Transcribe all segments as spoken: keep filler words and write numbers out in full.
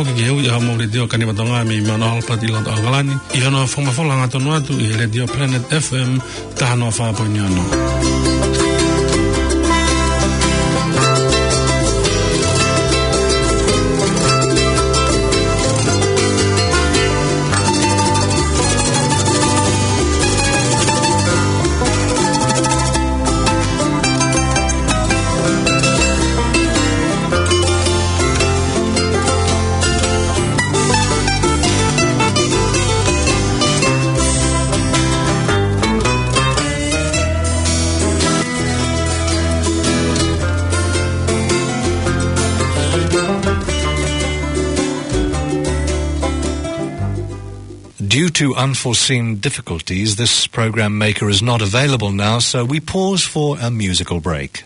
Ke ui ʻa hoʻomou letiō Kanivatonga mei Mount Albert ʻi loto ʻAokalani, ʻi hono fakamafola hangatonu atu ʻi he Letiō Planet F M taha noa fā poini ono. Due to unforeseen difficulties, this program maker is not available now, so we pause for a musical break.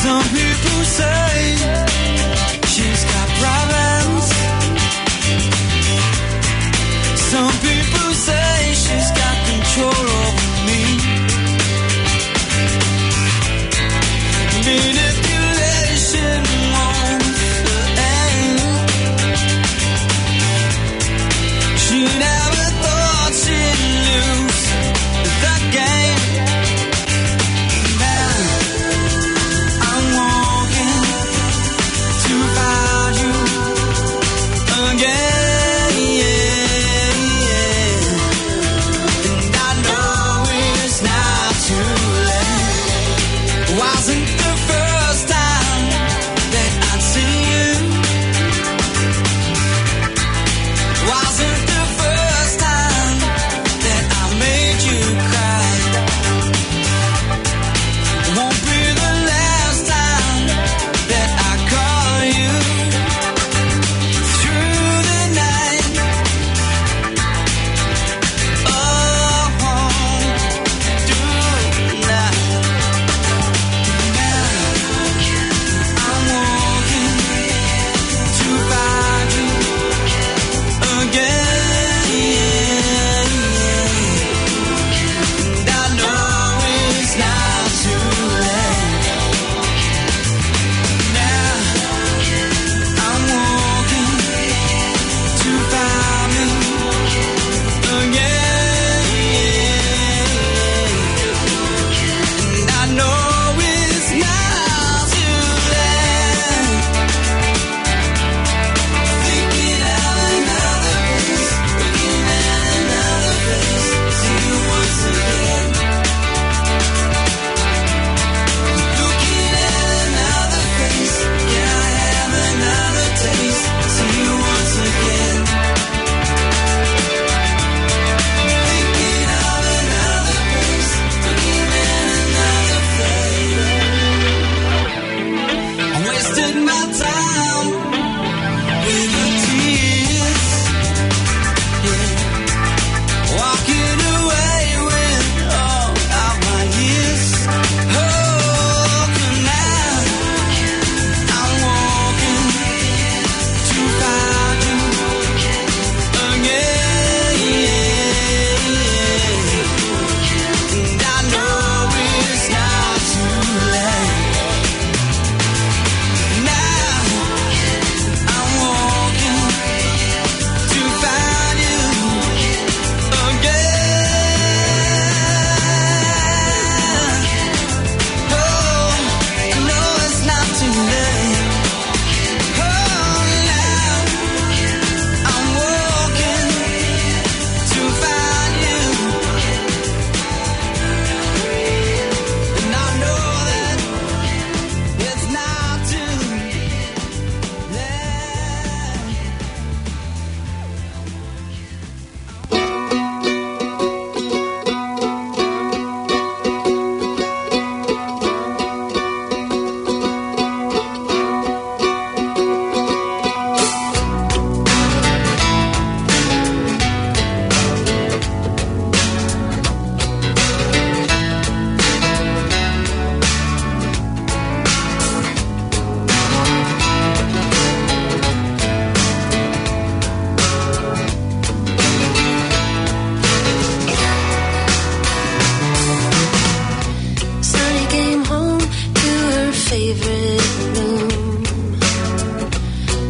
Some people say she's got problems.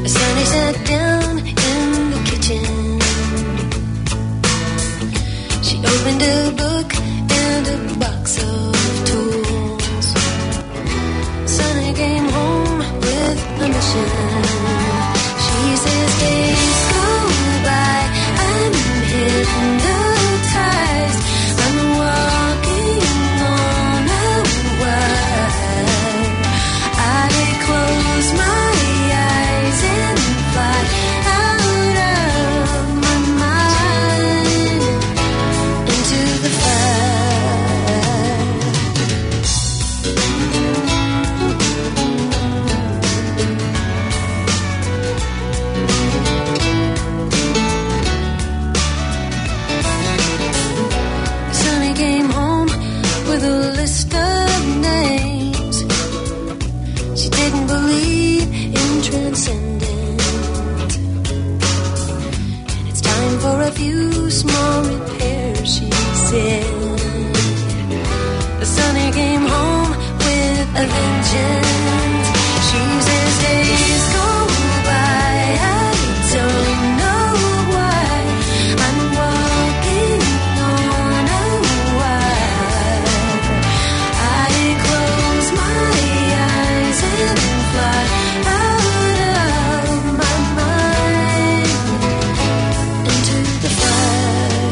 Sonny sat down in the kitchen. She opened a book and a box of tools. Sonny came home with a mission. She says, "Days go by, I'm hypnotized. I'm walking on a wire. I close my eyes and fly out of my mind into the fire." Sonny came home with a list of names. She didn't believe in transcendence. "And it's time for a few small repairs," she said. Sonny came home with a vengeance. She says, "Days go by, I don't know why. I'm walking on a wire. I close my eyes and fly out of my mind into the fire."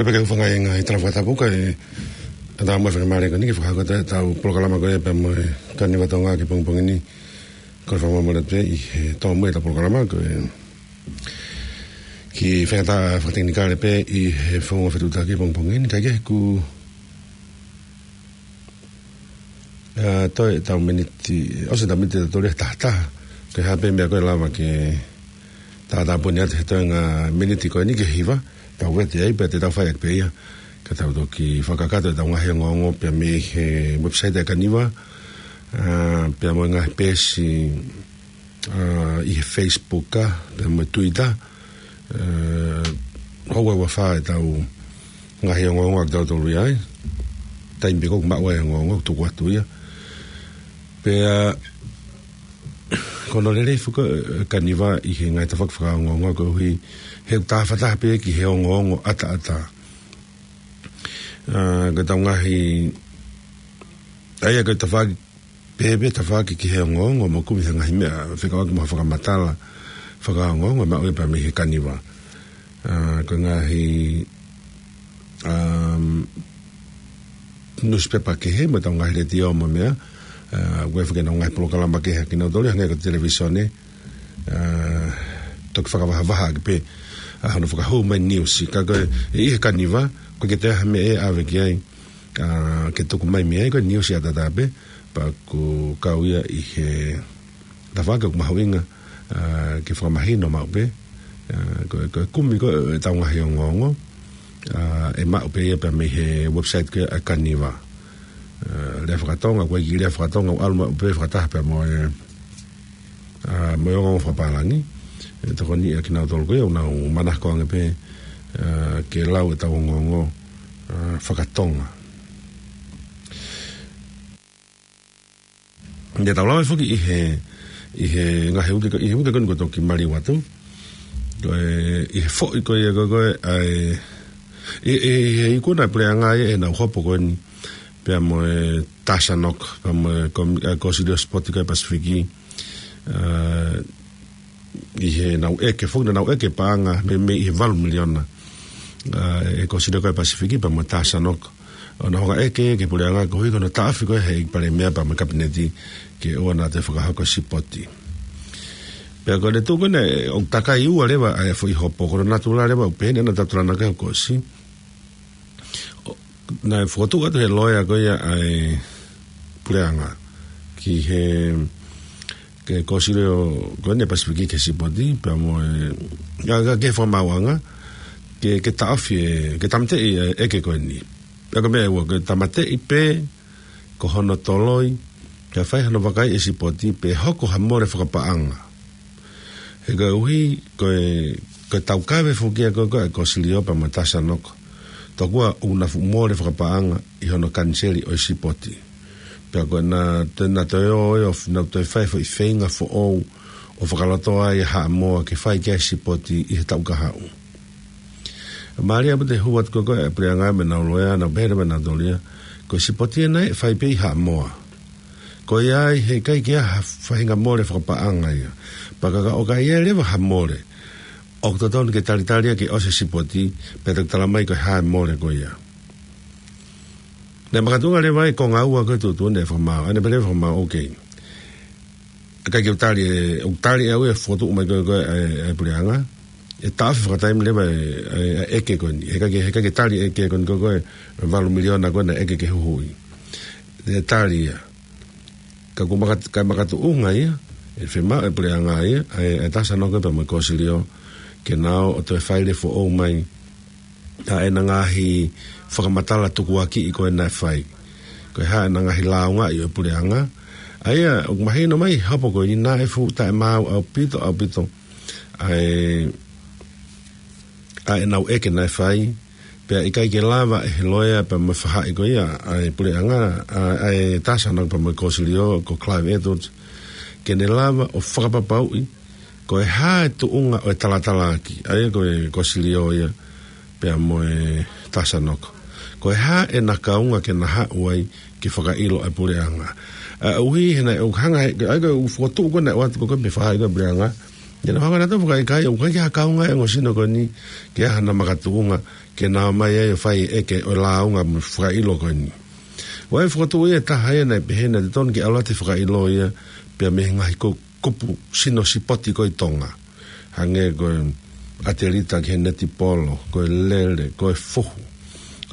Pea ke u hūfanga ʻi he ngaahi tala fakatapu kae ʻatā mo e faingamālie ko eni ke fakahoko atu ʻetau polokalama ko ia pea mo e Kaniva Tonga ki he pongipongi ni. Ko e fakamālō atu ʻi he tō mai ʻetau polokalama ko e kiʻi faingataʻa fakatekinikale pē ʻi he founga fetuʻutaki pongipongi ni, kae kehe kuo ʻa, toe ʻetau miniti, ʻosi ʻetau miniti ʻe tolu ʻi he taha taha. Ko e hā pē meʻa ko ē ʻe lava ke tātāpuni atu he toenga miniti ko eni ki he hiva, tau vete ai pea te tau fai ʻaki pē ia. Ka tau toki fakakakato ʻetau ngaahi ongoongo pea mei he website ʻa e Kaniva, ʻa, pea mo e ngaahi peesi, ʻa, ʻi he Facebook, ʻa, pea mo e Twitter, ʻa, houa ua fā ʻetau ngaahi ongoongo ʻa kitautolu ia ai. Taimi pē ko ē ʻoku maʻu ai e ongoongo ʻoku tuku atu ia. Pea, ko hono lelei foki ʻo e Kaniva ʻi he ngaahi tafaʻaki fakaongoongo koeʻuhi he ʻoku tafataha pē ki he ongoongo ʻataʻatā. ʻA, ko ʻetau ngaahi, ʻa ia ko e tafaʻaki pē, pē tafaʻaki ki he ongoongo mo kumi ha ngaahi meʻa fekauʻaki mo ha fakamatala fakaongoongo ʻe maʻu ia pea mei he Kaniva. ʻA, ko e ngaahi, um, nusipepa kehe mo ʻetau ngaahi letiō mo e meʻa, ʻa, ʻoku ʻi ai foki ʻenau ngaahi polokalama kehe ʻa kinautolu ia hangē ko e televīsone, ʻa, toki fakavahavaha ʻaki pē ʻa hono fakahū mai e niusi. Ka ko e, ʻi he Kaniva, ʻoku ʻikai ke toe ʻi ai ha meʻa ʻe ʻave ki ai, ʻa, ke tuku mai mei ai, ko e niusi ʻataʻatā pē, pea ʻoku kau ia ʻi he tafaʻaki ʻoku mahuʻinga, ʻa, ke fakamahino maʻu pē, ʻa, ko e, ko e kumi ko ē ʻetau ngaahi ongoongo, ʻa, ʻe maʻu pē ia pea mei he website ko ē ʻa e Kaniva. ʻA, lea fakatonga, ko e kiʻi lea fakatonga, ʻoku ʻalu maʻu pē fakataha pea mo e, ʻa, mo e ongoongo fakapālangi. ʻE tokoni ʻa kinautolu ko ia ʻoku nau manako ange pē, ʻa, ke lau ʻetau ongoongo, ʻa, fakatonga. Naʻa tau lave foki ʻi he, ʻi he ngaahi uike ko, ʻi he uike ko eni kuo toki maliu atu. Ko e, ʻi he foʻi ko ia ko, ko e, ʻa e, ʻi, ʻi, ʻi he ikuna ʻa e puleʻanga ia ʻenau hopo ko eni pea mo e TASANOC, pea mo e komi-, ʻa e Kōsilio Sipoti ko ē Pasifiki, ʻa, ʻi heʻenau ʻeke foki, naʻa nau ʻeke paʻanga mei, mei he valu miliona, ʻa, ʻe he Kōsilio ko ē Pasifiki pea mo e TASANOC. ʻO nau hanga ʻo ʻeke ki he puleʻanga koeʻuhi ko hono taʻofi ko ē ʻe he ʻEiki Palēmia pea mo e Kapineti ke ʻoua naʻa toe fakahoko e sipoti. Pea ko e tuʻu ko ē naʻe, ʻoku takai ua leva ʻa e foʻi hopo, ko hono natula leva ʻoku pehē ni ʻa e natula naʻe ʻosi. ʻO, naʻe fokotuʻu atu ʻe he loea ko ia ʻa e puleʻanga ki he, ki he Kōsilio ko eni Pasifiki ki he sipoti, pea mo e, ʻa, ʻa, ki he fakamaauʻanga, ke, ke taʻofi e, ke tāmateʻi e ʻeke ko eni. Pea ko e meʻa ʻe ua, ke tāmateʻi pē ko hono toloi, ke fai hano vakai e sipoti, pe hoko ha mole fakapaʻanga. He koeʻuhi, ko e, ko e taukave foki ia ko, ko e Kōsilio pea mo e TASANOC. Tokua ʻoku na fuʻu mole fakapaʻanga ʻi hono kaniseli ʻo e sipoti. Pea ko ʻena, te na toe ō ʻo f-, na toe fai foʻi feinga foʻou ʻo fakalotoa ai ʻa Haʻamoa ke fai ki ai e sipoti ʻi he taʻu kahaʻu. Mālie ʻaupito e hū atu ko ē ʻa e puleʻanga mo ʻenau loea, nau pehē leva ʻe nautolu ia, ko e sipoti ʻena ʻe fai pē ʻi Haʻamoa. Ko ia ai he ʻikai ke ʻi ai ha faʻahinga mole fakapaʻanga ia. Pea ka, ka ʻoku ʻi ai leva ha mole, ʻoku totonu ke talitali ia ke ʻosi e sipoti, pea toki tala mai ko e hā e mole ko ia. Naʻe makatuʻunga leva ai e konga ua ko ē tuʻutuʻuni ʻa e fakamaau. ʻA ia naʻe pehē leva e fakamaau, okay. ʻIkai ke u tali e, ʻoku tali ʻe au e fokotuʻu mai ko ē, ko ē ʻa e, ʻa e puleʻanga. ʻE taʻofi fakataimi leva e, e, e ʻeke ko eni. He ʻikai ke, he ʻikai ke tali e ʻeke ko eni ko ē, ko ē, valu miliona ko ē naʻe ʻeke ke huhuʻi. ʻE tali ia. Ka ʻoku makat-, ka makatuʻunga ia, ʻe fiemaʻu ʻe he puleʻanga ia, ʻa e, ʻa e TASANOC pea mo e Kōsilio, ke nau ō ʻo toe fai leva foʻou mai ʻa ʻena ngaahi fakamatala tukuakiʻi ko ē naʻe fai. Ko e hā ʻena ngaahi lāungaʻi ʻo e puleʻanga. ʻA ia, ʻoku mahino mai he hopo ko eni naʻe fuʻu taʻemaau ʻaupito, ʻaupito. ʻA e, ʻa ʻenau ʻeke naʻe fai, pea ʻikai ke lava ʻe he loea pea mo e faʻahi ko ia ʻa e puleʻanga, ʻa, ʻa e TASANOC pea mo e Kōsilio, ko Clive Edwards, ke ne lava ʻo fakapapauʻi, ko e hā e tuʻunga ʻo e talatalaaki, ʻa ia ko e Kōsilio ia, pea mo e TASANOC. Ko e hā ʻena kaunga ke na haʻu ai ke fakaʻilo ʻa e puleʻanga. ʻA, ʻuhi he naʻe ʻoku hanga he, ʻa ia ko e ʻū fokotuʻu ko ē naʻe ʻoatu ko ē mei he faʻahi ko ē ʻa e puleʻanga. Ia naʻa nau hanga nautolu ʻo fakaikai, ʻoku ʻikai ke ʻi ai ha kaunga ʻa e ongo sino ko eni, ke ʻi ai hano makatuʻunga, ke na ō mai ai ʻo fai e ʻeke ʻo e lāunga mo e fakaʻilo ko eni. ʻOku ʻi ai e fokotuʻu ia ʻe taha ia naʻe pehē naʻe totonu ke ʻalu atu e fakaʻilo ia pea mei he ngaahi ko-, kupu sino sipoti ko ē ʻi Tonga. Hangē ko e ʻatelita ki he netipolo, ko e lele, ko e fuhu.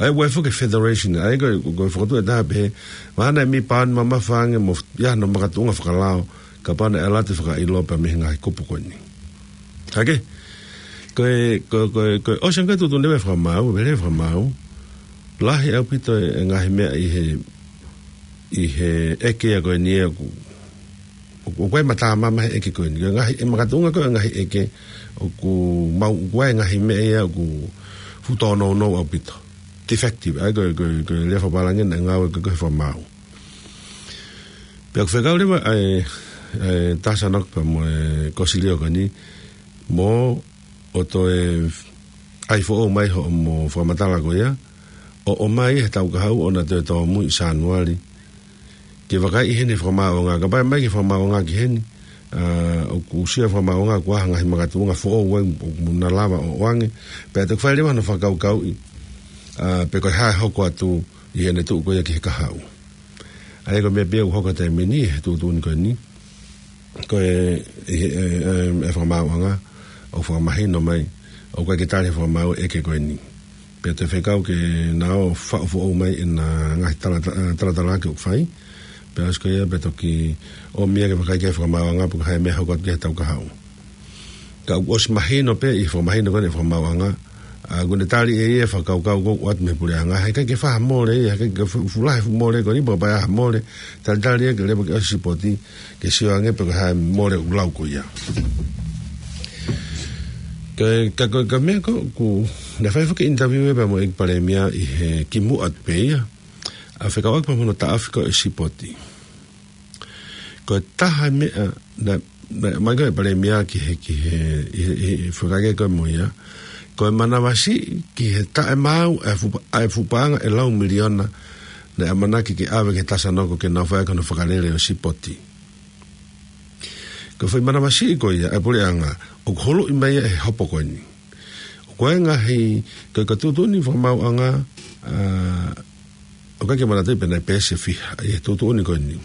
ʻA ia ʻoku ʻi ai foki e federation, ʻa ia ko e, ko e fokotuʻu ʻe taha pehē, mahalo naʻe mei paani mamafa ange mo ia hono makatuʻunga fakalao, kapau naʻe ʻalu atu e fakaʻilo pea mei he ngaahi kupu ko eni. Hake, ko e, ko e, ko e, ko e ʻosi ange ko e tuʻutuʻuni leva e fakamaau, vele e fakamaau, lahi ʻaupito e ngaahi meʻa ʻi he, ʻi he ʻeke ia ko eni ʻoku, ʻoku, ʻoku ʻi ai e matāmama he ʻeke ko eni. Ko e ngaahi, e makatuʻunga ko e ngaahi ʻeke, ʻoku mau, ʻoku ʻi ai e ngaahi meʻa ia ʻoku fuʻu tōnounou ʻaupito. Defective, ʻa ia ko e, ko e, ko e lea fakapālangi naʻe ngāueʻaki ko e fakamaau. Pea ʻoku fekau leva ʻa e, ʻa e Taha Sanoka pea mo e Kosilio ko eni, mo ʻo toe ʻai foʻou mai hoʻomo fakamatala ko ia, ʻo, ʻomai he taʻu kahaʻu ʻo na toe tōmui ʻi Sānuali. Ke vakai ʻi heni e fakamaauʻanga, kapau ʻe ʻomai ki he fakamaauʻanga ki heni, ʻa, ʻoku ʻusia e fakamaauʻanga ko ha ngaahi makatuʻunga foʻou ʻoku, ʻoku na lava ʻo ʻoange, pea toki fai leva hono fakakaukauʻi, ʻa, pe ko e hā e hoko atu ʻi heʻene tuʻu ko ia ki he kahaʻu. ʻA ia ko e meʻa pē ia ʻoku hoko he taimi ni he tuʻutuʻuni ko eni. Ko e, e, e, e, e fakamaauʻanga, ʻoku fakamahino mai, ʻoku ʻikai ke tali he fakamaau e ʻeke ko eni. Pea toe fekau ke na ō faʻu foʻou mai ʻena ngaahi tala-, talatalaaki ʻoku fai. Pea ʻosi ko ia pea toki ʻomi ia ke vakai ki he fakamaauʻanga pe ko e hā e meʻa hoko atu ki he taʻu kahaʻu. Ka ʻoku ʻosi mahino pē ʻi he fakamahino ko eni e fakamaauʻanga, ʻa, ʻoku ne tali ʻe ia e fakakaukau ko ē ʻoku ʻoatu mei he puleʻanga, heʻikai ke fai ha mole ia, heʻikai ke fu-, fuʻu lahi e fuʻu mole ko eni, pea kapau ʻe ʻi ai ha mole, talitali ia ke leva ke ʻosi e sipoti, ke sio ange pe ko e hā e mole ʻoku lau ko ia. Ka, ka, ka, ka meʻa ko ē, ʻoku, naʻe fai foki e interview ia pea mo e ʻEiki Palēmia ʻi he kimuʻa pē ia, ʻa, fekauʻaki pea mo hono taʻofi ko ē e sipoti. Ko e taha e meʻa naʻe, naʻe ʻomai ko ē ʻe he Palēmia ki he, ki he, ʻi he, ʻi he, ʻi he fakaʻeke ko ē mo ia, ko e manavasiʻi ki he taʻemaau ʻa e fuʻu pa-, ʻa e fuʻu paʻanga ʻe lau miliona naʻe ʻamanaki ke ʻave ki he Taha Sanoka ke nau fai ʻaki hono fakalele ʻo e sipoti. Ko e foʻi manavasiʻi ko ia ʻa e puleʻanga, ʻoku huluʻi mai ia ʻe he hopo ko eni. ʻOku ʻi ai e ngaahi, ko e, ko e tuʻutuʻuni fakamaauʻanga, ʻa, ʻoku ʻikai ke manatuʻi pe naʻe peesi ʻe fiha ʻi he tuʻutuʻuni ko eni.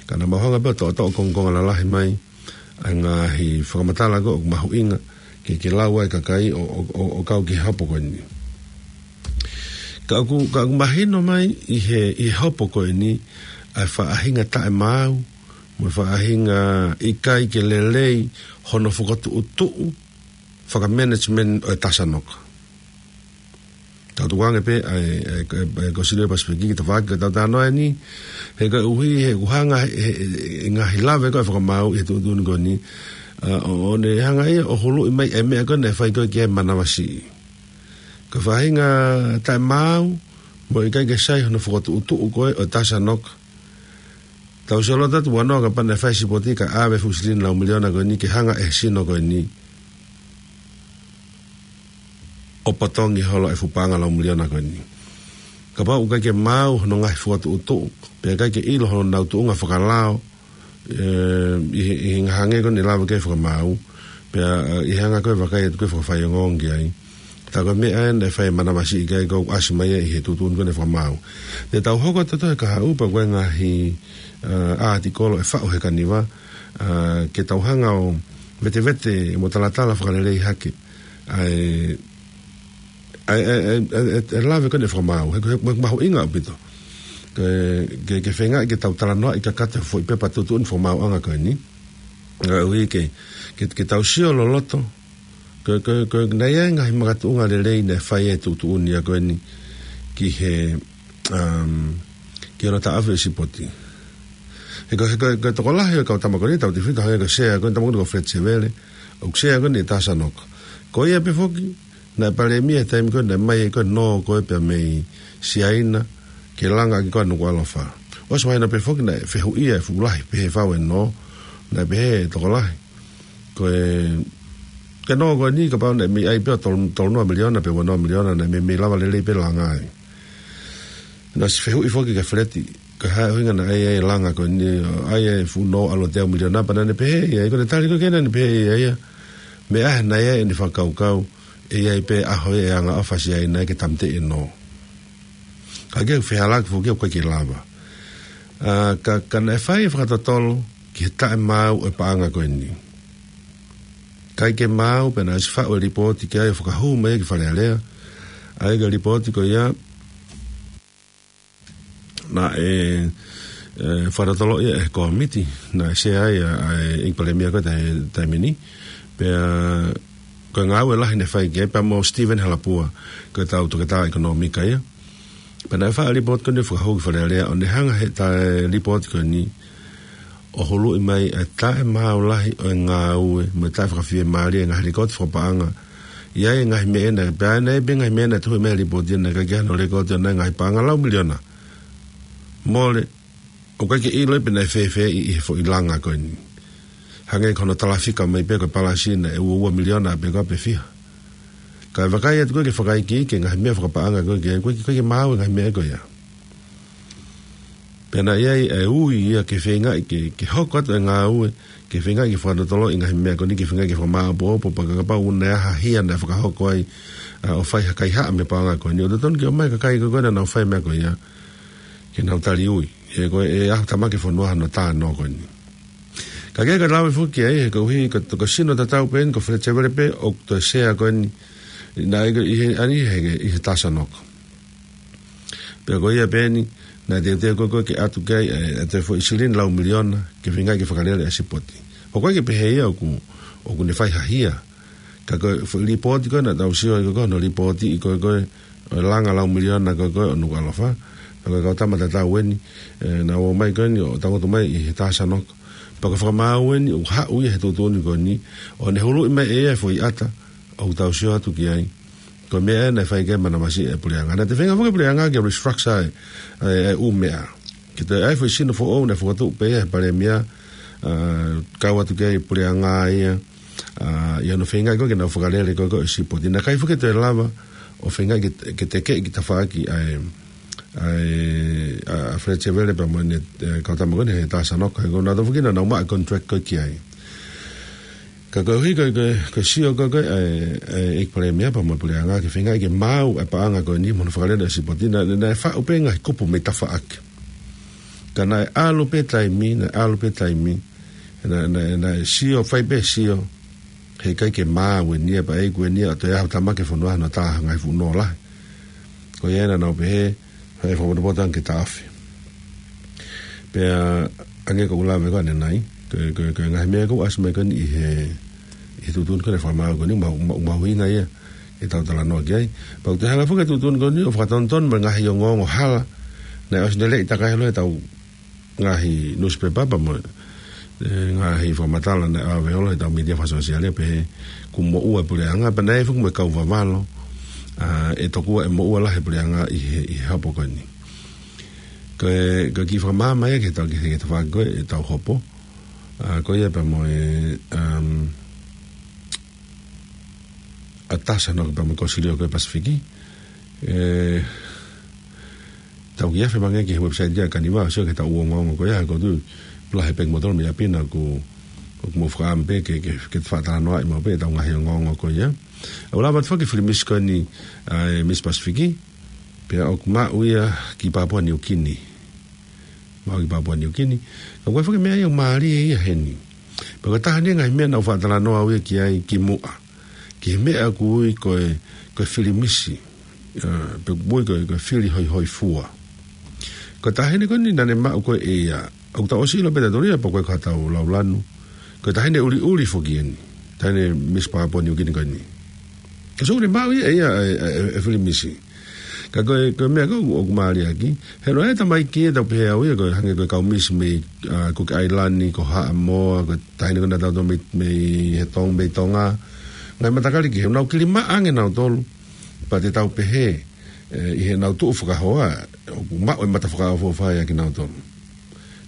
Ka naʻa mau hanga pē ʻo toʻotoʻo kongokonga lalahi mai ʻa e ngaahi fakamatala ko ē ʻoku mahuʻinga ke, ke lau ai e kakai ʻo, ʻo, ʻo, ʻo kau ki he hopo ko eni. Ka ʻoku, ka ʻoku mahino mai ʻi he, ʻi he hopo ko eni ʻa e faʻahinga taʻemaau, mo e faʻahinga ʻikai ke lelei hono fokotuʻutuʻu fakamanagement ʻo e Taha Sanoka. Tau tukuange pē ʻa e, ʻa e, ʻa e, ʻa e Kosilio Pasifiki ki he tafaʻaki ko ē ʻoku tau talanoa ai ni, he koeʻuhi he ʻoku hanga he, he, he ngaahi lave ko ē ʻa e fakamaau ʻi he tuʻutuʻuni ko eni, ʻa, ʻo, ʻo ne hanga ia ʻo huluʻi mai e meʻa ko ē naʻe fai ko ē ki ai e manavasiʻi. Ko e faʻahinga taʻemaau, mo e ʻikai ke sai hono fokotuʻutuʻu ko ē ʻo e Taha Sanoka. Tau sio loto atu ʻo ʻilo kapau naʻe fai e sipoti kae ʻave e fuʻu silini lau miliona ko eni ke hanga ʻe he sino ko eni ʻo potongi holo e fuʻu paʻanga lau miliona ko eni. Kapau ʻoku ʻikai ke maau hono ngaahi fokotuʻutuʻu, pea ʻikai ke ʻilo honau tuʻunga fakalao, ē, ʻi he, ʻi he ngaahi anga ko eni ʻe lava ki ai e fakamaau, pea, ē, ʻi he anga ko ē e vakai atu ko ē e fakafaiongoongo ki ai. Tā ko e meʻa ē naʻe fai e manavasiʻi ki ai ʻoku ʻasi mai ia ʻi he tuʻutuʻuni ko eni e fakamaau. Te tau hoko atu ʻo toʻo e kahaʻu pea ko e ngaahi, ē, ʻātikolo ʻe faʻu he kaniva, ē, ke tau hanga ʻo vetevete mo talatala fakalelei hake ʻa e, ʻa e, ʻa e, ʻa e, ʻa e, ʻa e lave ko eni e fakamaau. He, he, he mahuʻinga ʻaupito. Ke, ke, ke feingaʻi ke tau talanoaʻi kakato e foʻi pepa tuʻutuʻuni fakamaauʻanga ko eni. Koeʻuhi ke, ke, ke tau sio loloto. Ko, ko, ko e naʻe ʻi ai e ngaahi makatuʻunga lelei naʻe fai ʻe he tuʻutuʻuni ia ko eni ki he, um, ki hono taʻofi e sipoti. He ko, he ko, ko e tokolahi ʻo e kau tama ko eni, tautefito hangē ko e sea ko eni, tama ko eni ko Fred Sevele, ʻoku sea ko eni ʻe Taha Sanoka. Ko ia pē foki, naʻe palēmia he taimi ko ē naʻe ʻomai ai ko ē e nō ko ē pea mei Siaina, ke langa ʻaki ko ē ʻa Nukuʻalofa. ʻOsi mahino pē foki naʻe fehuʻia e fuʻu lahi pehē fau e nō, naʻe pehē ʻe he tokolahi. Ko e, ko e nō ko eni kapau naʻe mei ʻai pē ʻo tolu, tolu noa miliona pe ua noa miliona naʻe mei, mei lava lelei pē langa ai. Naʻe ʻosi fehuʻi foki kia Feleti, ko e hā e ʻuhinga naʻe ʻai ai e langa ko eni, ʻai e fuʻu nō ʻalu ʻo teau miliona pea naʻa ne pehē ia, ʻi heʻene tali ko ē ki ai naʻa ne pehē ia, ia. Meʻa ē naʻe ʻi ai ʻene fakakaukau, ʻE ʻi ai pē ʻaho ʻe anga ʻofa siʻi ai naʻe ke tamte ʻe nō. Ka ke fehālaaki foki ʻoku ʻikai ke lava. ʻA, ka, ka naʻe fai e fakatotolo ki he taʻemaau ʻo e paʻanga ko eni. ʻIkai ke maau pea naʻe ʻosi faʻu e lipooti ki ai ʻo fakahū mai ki Fale Alea. ʻA ia ko e lipooti ko ia naʻe, ʻe, fakatotolo ia ʻe he kōmiti, naʻe sea ai ʻa, ʻa e ʻEiki Palēmia ko e taimi ni. Pea ko e ngāue lahi naʻe fai ki ai pea mo Stephen Halapua, ko e tau toketā ʻekonōmika ia. Pea naʻe faʻu e lipooti ko eni ʻo fakahū ki Fale Alea, ʻo ne hanga he taʻe lipooti ko eni ʻo huluʻi mai e taʻemaau lahi ʻo e ngāue, mo e taʻefakafiemālie e ngaahi lekooti fakapaʻanga. ʻI ai e ngaahi meʻa naʻe, pea naʻe pē ngaahi meʻa naʻe tohi mai he lipooti naʻe ʻikai ke ʻi ai hano lekooti ʻo e ngaahi paʻanga lau miliona. Mole, ʻoku ʻikai ke ʻilo pe naʻe fēfē ʻi, ʻi he foʻi langa ko eni. Hangē ko hono talafika mai pē ko e palasi naʻe ua ua miliona pe ko e pe fiha. Ka e vakai atu ko ē ki he fakaikiiki e ngaahi meʻa fakapaʻanga ko ē, ʻoku ʻikai ke, ʻoku ʻikai ke maau e ngaahi meʻa ko ia. Pea naʻe ʻi ai e ui ia ke feingaʻi ke, ke hoko atu e ngāue, ke feingaʻi ke fakatotoloʻi e ngaahi meʻa ko eni, ke feingaʻi ke fakamāʻopoʻopo, pea kapau ʻoku ʻi ai ha hia naʻe fakahoko ai, ʻa, ʻo fai ha kaihaʻa mei he paʻanga ko eni, ʻoku totonu ke ʻomai e kakai ko ē naʻa nau fai e meʻa ko ia ke nau tali ui. He ko e ʻaho tamaki e fonua hono tā nō ko eni. Ka ke ka lave foki ai, he koeʻuhi ko e, ko e sino tatau pē eni, ko Fletcher Vele pē ʻoku toe sea ko eni, naʻe ʻi he, ʻi he, ʻi he Tasanoko. Pea ko ia pē eni, naʻe teuteu ko ē ke ʻatu ki ai, ʻe, ʻe toe foʻi silini lau miliona, ke feingaʻi ke fakalele e sipoti. ʻOku ʻikai ke pehē ia ʻoku, ʻoku ne fai ha hia. Ka ko e foʻi lipooti ko ē naʻa tau sio ai ko ē, ko hono lipooti ʻi ko ē ko ē, ʻo e langa lau miliona ko ē ko ē ʻo Nukuʻalofa. Pea ko e kau tama tatau eni, ʻe, naʻa nau ō mai ko eni ʻo tangutu mai ʻi he Tasanoko. Pea ko e fakamaau eni ʻoku haʻu ia he tuʻutuʻuni ko eni, ʻo ne huluʻi mai ʻe ia e foʻi ʻata ʻoku tau sio atu ki ai. Ko e meʻa ē naʻe fai ki ai e manavasiʻi e puleʻanga. Naʻe toe feinga foki e puleʻanga ke restructure e, e, e ʻū meʻa. Ke toe ʻai e foʻi sino foʻou naʻe fokotuʻu pē ia he palēmia, ʻa, kau atu ki ai e puleʻanga ia, ʻa, ʻi hono feingaʻi ko ē ke nau fakalele ko ē ko ē e sipoti. Naʻe ʻikai foki toe lava ʻo feingaʻi ke, ke tekeʻi ki tafaʻaki ʻa e, ʻa e, ʻa, ʻa Fletcher Vele pea mo ʻene, ʻe, kau tama ko eni he Tasanoko, he ko nautolu foki naʻa nau maʻu e contract ko ē ki ai. Ka koeʻuhi ko e, ko e, ko e sio ko ē ko ē, ʻe, ʻe, ʻEiki Palēmia pea mo e puleʻanga ke feingaʻi ke maau e paʻanga ko eni mo hono fakalele e sipoti, naʻe, naʻe faʻu pē ngaahi kupu mei tafaʻaki. Ka naʻe ʻalu pē taimi, naʻe ʻalu pē taimi, naʻe, naʻe, naʻe sio, fai pē sio, heʻikai ke maau eni ia pea ʻe ʻikai eni ia ʻo toe ʻaho tamaki e fonua hono tā ha ngaahi fuʻu nō lahi. Ko ia naʻa nau pehē, ʻe fakapotopoto ange ke taʻofi. Pea hangē ko ʻeku lave ko ē ʻanenai, ko e, ko e, ko e ngaahi meʻa ko ē ʻoku ʻasi mai ko eni ʻi he, ʻi he tuʻutuʻuni ko ē ʻa e fakamaau ko eni, mau, mau, mahuʻinga ia ke tau talanoa ki ai. Pea ʻoku toe hanga foki e tuʻutuʻuni ko eni ʻo fakatonutonu mo e ngaahi ongoongo hala naʻe ʻosi leleʻi takai holo ʻe he tau ngaahi nusipepa pea mo e, ʻe, ngaahi fakamatala naʻe ʻave holo ʻe he tau mītia fakasōsiale pehē kuo moʻua e puleʻanga, pea naʻe ʻi ai foki mo e kau vavalo, ʻa, ʻe tokua ʻe moʻua lahi e puleʻanga ʻi he, ʻi he hopo ko eni. Ko e, ko e kiʻi fakamaama ia ki he tau, ki he, ki he tafaʻaki ko ē ʻetau hopo. ʻA, ko ia pea mo e, um, ʻa e Tasanoko pea mo e Kōsilio ko ē Pasifiki. ʻE, tau kiʻi afe mai ange ki he website ia ʻa Kaniva, sio ki he tau ongoongo ko ia, ko tu pula he peki motolo mei ʻapi naʻa ku, ʻoku mou fakaʻamu pē ke, ke, ke fakatalanoaʻi maʻu pē ʻetau ngaahi ongoongo ko ia. ʻOku lava atu foki e filimisi ko eni, ʻa e Miss Pasifiki, pea ʻoku maʻu ia ki Papua Niukini. Maʻu ki Papua Niukini. Ka ko e foki meʻa ia ʻoku mālie ia heni. Pea ko e taha eni e ngaahi meʻa naʻa ku fakatalanoa au ia ki ai kimuʻa. Ki he meʻa ʻoku ui ko e, ko e filimisi. ʻA, pe ʻoku ui ko e, ko e fili hoihoifua. Ko e taha eni ko eni naʻa ne maʻu ko ē ʻe ia. ʻOku tau ʻosi ʻilo pē ʻe tautolu ia pea ko e ko ha tau laulanu. Ko e taha eni ʻuliʻuli foki eni. Taha eni Miss Papua Niukini ko eni. Ka sio ʻoku ne maʻu ia ʻe ia e, e, e, e filimisi. Ka ko e, ko e meʻa ko ē ʻoku mālie ʻaki. He ʻoku ʻi ai e tamaiki ʻe tau pehē au ia, ko e hangē ko e kau misi mei, ʻa, Kuki ʻAilani, ko Haʻamoa, ko e taha eni ko ē naʻa tau tō mei, mei he Tong-, mei Tonga. Ngaahi matakali kehe, ʻoku nau kilimaʻa ange nautolu. Pea te tau pehē, ʻe, ʻi heʻenau tuʻu fakahoa, ʻoku maʻu e mata fakaʻofoʻofa ia kinautolu.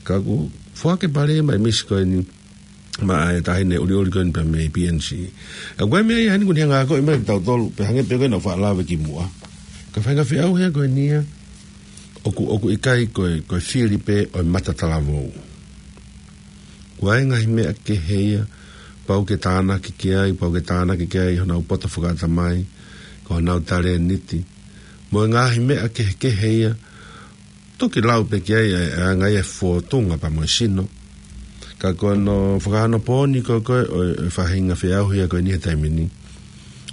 Ka ʻoku foaki e palēmia e misi ko eni, maʻa e taha eni ʻuliʻuli ko eni pea mei P N C. ʻA, ko e meʻa ia heni ʻoku ne hanga ʻo akoʻi mai kia tautolu, pea hangē pē ko ʻeku faʻa lave kimuʻa. Ko e faʻahinga feʻauhi ia ko eni ia, ʻoku, ʻoku ʻikai ko e, ko e fili pē ʻo e mata talavou. ʻOku ʻi ai e ngaahi meʻa kehe ia, pau ke tānaki ki ai, pau ke tānaki ki ai honau poto fakaʻatamai, ko honau talēniti. Mo e ngaahi meʻa kehekehe ia, toki lau pē ki ai e, e anga ia e fōtunga pea mo e sino. Ka ko hono fakaonopōni ko ē ʻo e, ʻo e faʻahinga feʻauhi ko eni he taimi ni,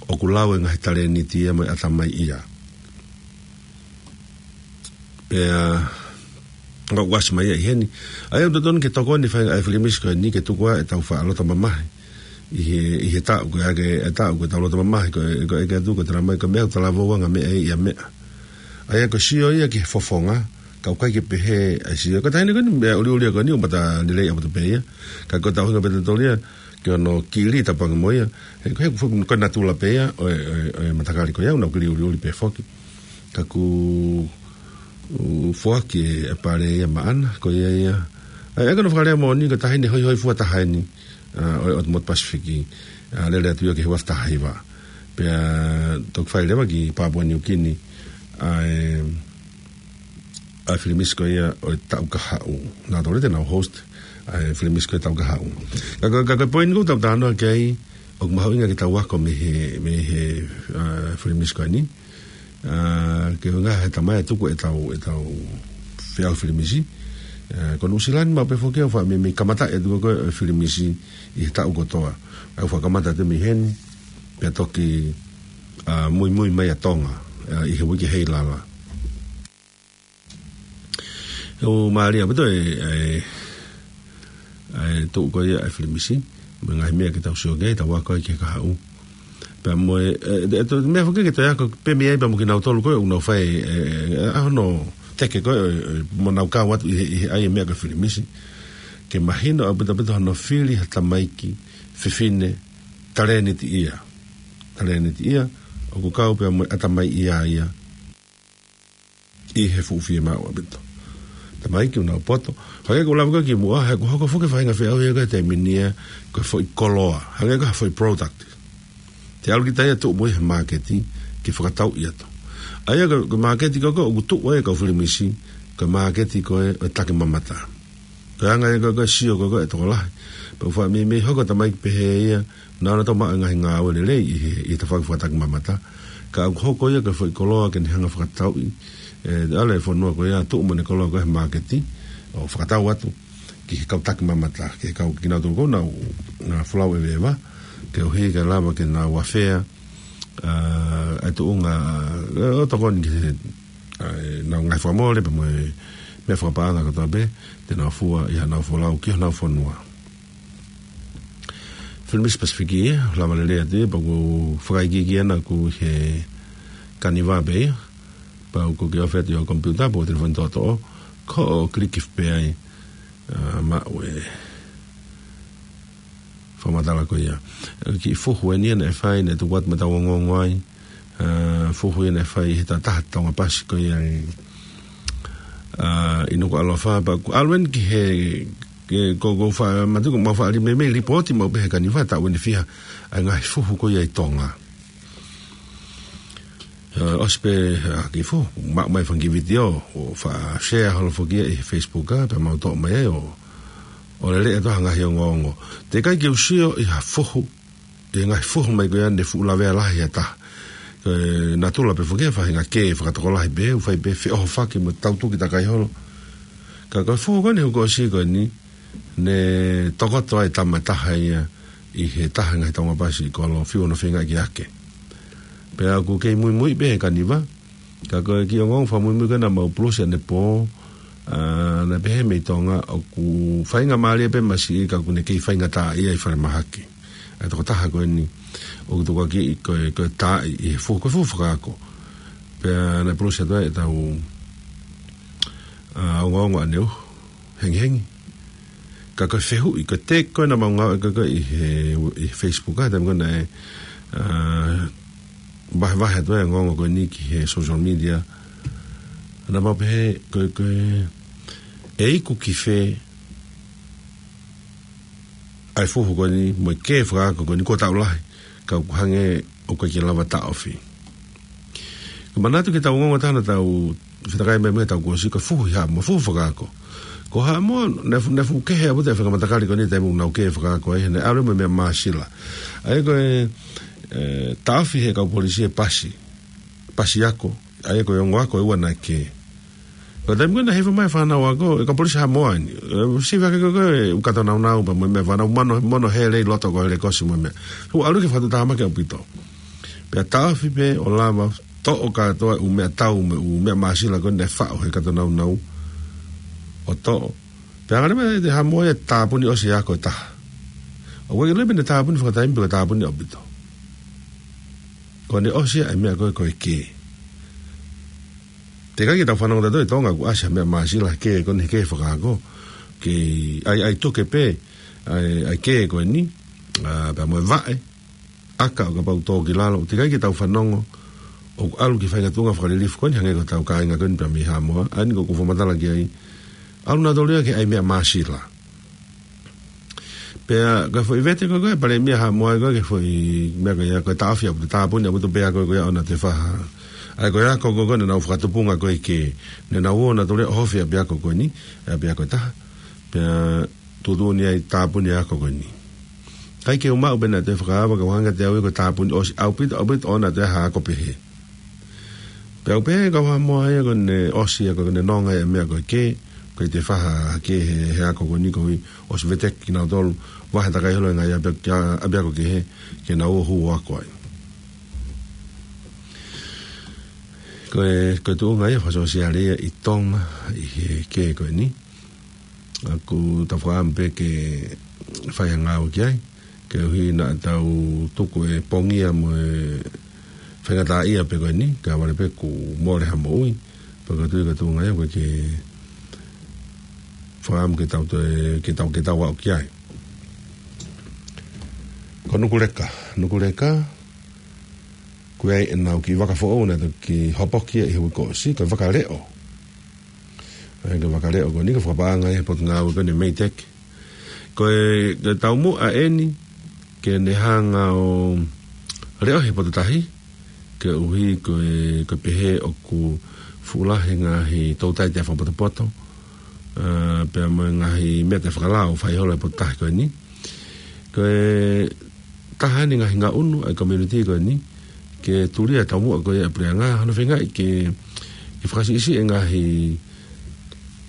ʻoku lau e ngaahi talēniti ia mo e ʻatamai ia. Pea, ʻoku ʻasi mai ia ʻi heni. ʻA ia ʻoku totonu ke tokoni e faʻahinga ʻa e Filimisi ko eni ke tuku ʻa ʻetau faʻa loto mamahi. ʻI he, ʻi he taʻu ko ē, ʻa e, e taʻu ko ē ʻetau loto mamahi ko ē, ko ē ke atu ko e tala mai ko e meʻa ʻoku talavou anga meʻa ia meʻa. ʻA ia ko e sio ia ki he fofonga, ka ʻoku ʻikai ke pehē ʻa e sio. Ko e taimi ko eni meʻa ʻuliʻuli ko eni ʻoku mata lelei ʻaupito pē ia. Ka ko ʻetau hinga pē totonu ia, ke ono kili tapangi mo ia. He, he, ko e natula pē ia, ʻo e, ʻo e, ʻo e matakali ko ia, ʻoku nau kili ʻuliʻuli pē foki. Ka ʻoku, ʻoku foaki e pale ia maʻana, ko ia ia. ʻA ia ko hono fakalea moʻoni ko e taʻahine hoihoifua taha eni, ʻa, ʻo e, ʻo e motu Pasifiki, ʻa, lele atu ia ki he ua afe taha hiva. Pea toki fai leva ki Papua New Guinea, ʻa e, ʻa e Filimisi ko ia ʻo e taʻu kahaʻu. Naʻa tau lete nau host, ʻa e Filimisi ko ia taʻu kahaʻu. Ka ko, ka ko e poini ʻoku tau talanoa ki ai, ʻoku mahuʻinga ke tau ako mei he, mei he, ʻa, Filimisi ko eni. ʻA, ke ʻuhinga he taimi ʻe tuku ʻetau, ʻetau feʻauhi Filimisi. ʻA, ko Nuʻusila ni maʻu pē foki ʻoku faʻa meimei kamata ʻe tuku ko e Filimisi ʻi he taʻu kotoa. ʻOku faʻa kamata atu mei heni, pea toki, ʻa, muimui mai ʻa Tonga, ʻa, ʻi he uike hei lala. ʻOku mālie ʻaupito e, e, e tuʻu ko ia e Filimisi, mo e ngaahi meʻa ke tau sio ki ai, tau ako ai ki he kahaʻu. Pea mo e, e, e, e, meʻa foki ke tau ako pē mei ai pea mo kinautolu ko ē, ʻoku nau fai, e, e, e, ʻa hono teke ko ē, e, e, mo nau kau atu ʻi he, ʻi he ʻai e meʻa ko e Filimisi. Ke mahino ʻaupito ʻaupito hono fili ha tamaiki fefine talēniti ia. Talēniti ia, ʻoku kau pea mo e ʻatamai ia ia. ʻI he fuʻu fiemaʻu ʻaupito. Tamaiki ʻoku nau poto. Hangē ko e lava ko ē kimuʻa, he ʻoku hoko foki e faʻahinga feʻauhi ko ē he taimi ni ia, ko e foʻi koloa. Hangē ko e foʻi product. Te ʻalu kita ia ʻo tuʻu mo ia he māketi, ke fakatauʻi atu. ʻA ia ko e, ko e māketi ko ē ʻoku tuʻu ai e kau Filimisi, ko e māketi ko ē ʻo e takimamata. Ko e anga ia ko ē ko e sio ko ē ko ē e tokolahi. Pea ʻoku faʻa meimei hoko e tamaiki pehē ia, naʻa na tau maʻu e ngaahi ngāue lelei ʻi he, ʻi he tafaʻaki fakatakimamata. Ka ʻoku hoko ia ko e foʻi koloa ke ne hanga ʻo fakatauʻi, e, ʻa e fonua ko ia ʻo tuʻu mo ʻene koloa ko ē he māketi, ʻo fakatau atu ki he kau takimamata, ki he kau kinautolu ko ē naʻa nau folau ʻeveʻeva, ke ʻuhi ke lava ke nau afea, ʻa, e tuʻunga, ʻa, ʻo tokoni ki he, ʻa, ʻenau ngaahi fakamole pea mo e meʻa fakapaʻanga kotoa pē, te nau fua ʻi haʻanau folau ki honau fonua. Filimisi Pasifiki ia, lava lelei atu ia, pea ʻoku fakaikiiki ʻana ʻoku ʻi he kaniva pē ia, pea ʻoku ke ofi atu ʻi ho komipiuta, pe ko e telefoni toʻotoʻo, ko ʻo kiliki pē ai, ʻa, maʻu e fakamatala ko ia. Kiʻi fuhu eni ia naʻe fai, naʻe tuku atu maʻa ʻetau ongoongo ai, ʻa, fuhu ia naʻe fai he taha Tonga Pasi ko ia ʻi, ʻa, ʻi Nukuʻalofa, pea ʻoku ʻalu eni ki he, ke, ko, ko fa, matu ko mau faʻa li-, meimei lipooti maʻu pē he kaniva taʻu eni fiha, ʻa e ngaahi fuhu ko ia ʻi Tonga. ʻA, ʻosi pē, ʻa, kiʻi fuhu, maʻu mai e fanga kiʻi vitiō, ʻo faʻa share holo foki ia ʻi he Facebook, ʻa, pea mau toʻo mai ai ʻo, ʻo lele atu ha ngaahi ongoongo. Teʻeki ai ke u sio ʻi ha fuhu, ʻi he ngaahi fuhu mai ko ia naʻe fuʻu lavea lahi ʻe ha taha. Ko e natula pē foki e faʻahinga kē fakatokolahi pē, ʻoku fai pē feʻohofaki mo tautuki takai holo. Ka ko e fuhu ko eni he kuo ʻosi ko eni, naʻe tokoto ai e tama ʻe taha ia ʻi he taha e ngaahi Tonga Pasi ʻi kolo, fiu hono feingaʻi ke ake. Pea ʻoku kei muimui pē he kaniva, ka ko e kiʻi ongoongo fakamuimui ko ē naʻa mau pulusi ʻanepō, ʻa, naʻe pehē mei Tonga, ʻoku faingamālie pē masiʻi ka ʻoku ne kei faingataʻaʻia ʻi falemahaki. ʻA e tokotaha ko eni, ʻoku tukuakiʻi ko e, ko e taaʻi ʻi he fuhu, ko e fuhu fakaako. Pea naʻe pulusi atu ai ʻetau, ʻa, ongoongo ʻaneuhu hengihengi. Ka ko e fehuʻi, ko e tag ko ē naʻa mau ngāueʻaki ko ē ʻi he, ʻi he Facebook, ʻa, taimi ko ē naʻe, ʻa, vahevahe atu ai e ongoongo ko eni ki he social media. Naʻa mau pehē, ko e, ko e, ʻe iku ki fē ʻa e fuhu ko eni, mo e kē fakaako ko eni, kuo taʻu lahi, ka ʻoku hangē ʻoku ʻikai ke lava taʻofi. Ka manatu ki heʻetau ongoongo taha naʻa tau, Fetakai mai mo e tau kuo ʻosi ko e fuhu ʻi Haʻamoa, fuhu fakaako. Ko Haʻamoa, naʻe fu-, naʻe fuʻu kehe ʻaupito e faʻahinga matakali ko eni taimi naʻa nau kē fakaako ai, he naʻe ʻalu mo e meʻa māsila. ʻA ia ko e, e, taʻofi he kau polisi e pasi. Pasi ako, ʻa ia ko e ongo ako ʻe ua naʻe kē. Ko e taimi ko ē naʻe hifo mai e fānau ako, e kau polisi Haʻamoa eni. E, siʻi faka ko ko e ʻū kato naunau pea mo e meʻa fānau mono, mono hele ʻi loto ko e hele kosi mo e meʻa. Ko e ʻalu ki he fakatuʻutāmaki ʻaupito. Pea taʻofi pē ʻo lava toʻo kātoa e ʻū meʻatau mo e ʻū meʻa māsila ko ē naʻe faʻo he kato naunau ʻo toʻo. Pea hanga leva ʻe Haʻamoa ia ʻo tāpuni ʻosi e ako ʻe taha. ʻOku ʻikai ke ʻilo pe naʻe tāpuni fakataimi pe ko e tāpuni ʻaupito. Ko ʻene ʻosi ia e meʻa ko ē ko e kē. Teʻeki ke tau fanongo tautolu ʻi Tonga ʻoku ʻasi ha meʻa māsila he kē ko eni he kē fakaako. Ke ʻai, ʻai tuke pē, ʻai, ʻai kē ko eni, ʻa, pea mo e vaʻe, ʻaka ʻo kapau tō ki lalo, teʻeki ke tau fanongo ʻoku ʻalu ki he faʻahinga tuʻunga fakalilifu ko eni hangē ko hotau kāinga ko eni pea mei Haʻamoa, ʻa eni ko ē ʻoku ou fakamatala ki ai. ʻAlu nautolu ia ke ʻai meʻa māsila. Pea ko e foʻi vete ko ē ko e palēmia Haʻamoa ko ē, ko e foʻi meʻa ko ia, ko e taʻofi ʻaupito, tāpuni ʻaupito pē ako ko ia ʻo naʻa toe fai ha. ʻA ia ko e ako ko ē ko ē naʻa nau fakatupunga ko ē kē, naʻa nau ō nautolu ia ʻo ʻohofi ʻapiako ko eni, ʻapiako ʻe taha. Pea tuʻutuʻuni ai tāpuni e ako ko eni. ʻIkai ke u maʻu pe naʻe toe fakaava, ka ʻoku hangē kiate au ia ko e tāpuni ʻosi ʻaupito, ʻaupito ʻo naʻa toe ʻi ai ha ako pehē. Pea u pehē kia Haʻamoa ia ko ʻene ʻosi ia ko ʻene nonga ia e meʻa ko e kē, ʻikai toe fai ha kē he, he ako ko eni koeʻuhi ʻosi veteki kinautolu, vahe takai holo e ngaahi ʻapiako, ʻapiako kehe, ke nau ō ʻo hū ʻo ako ai. Ko e, ko e tuʻunga ia fakasōsiale ia ʻi Tonga, ʻi he kē ko eni. ʻOku tau fakaʻamu pē ke fai ha ngāue ki ai, koeʻuhi naʻa tau tuku e pongia mo e faingataʻaʻia pē ko eni, kae ʻoua leva pē kuo mole ha moʻui, pea ko e tuʻu, ko e tuʻunga ia ʻoku ʻikai ke fakaʻamu ke tau toe, ke tau, ke tau aʻu ki ai. Ko Nukuleka, Nukuleka, ko e ʻenau kiʻi vaka foʻou naʻe toki hopoki ia ʻi he uike kuo ʻosi, ko e vaka leʻo. ʻA ia ko e vaka leʻo ko eni ko e fakapaʻanga ia he potungāue ko eni MEIDECC. Ko e, ko e taumuʻa eni ke ne hanga ʻo leʻo he potu tahi, koeʻuhi ko e, ko e pehē ʻoku fuʻu lahi e ngaahi toutai taʻefakapotopoto, ʻa, pea mo e ngaahi meʻa taʻefakalao ʻoku fai holo he potu tahi ko eni. Ko e taha eni e ngaahi ngaʻunu ʻa e community ko eni, ke tulia e taumuʻa ko ia ʻa e puleʻanga, hono feingaʻi ke, ke fakasiʻisiʻi e ngaahi,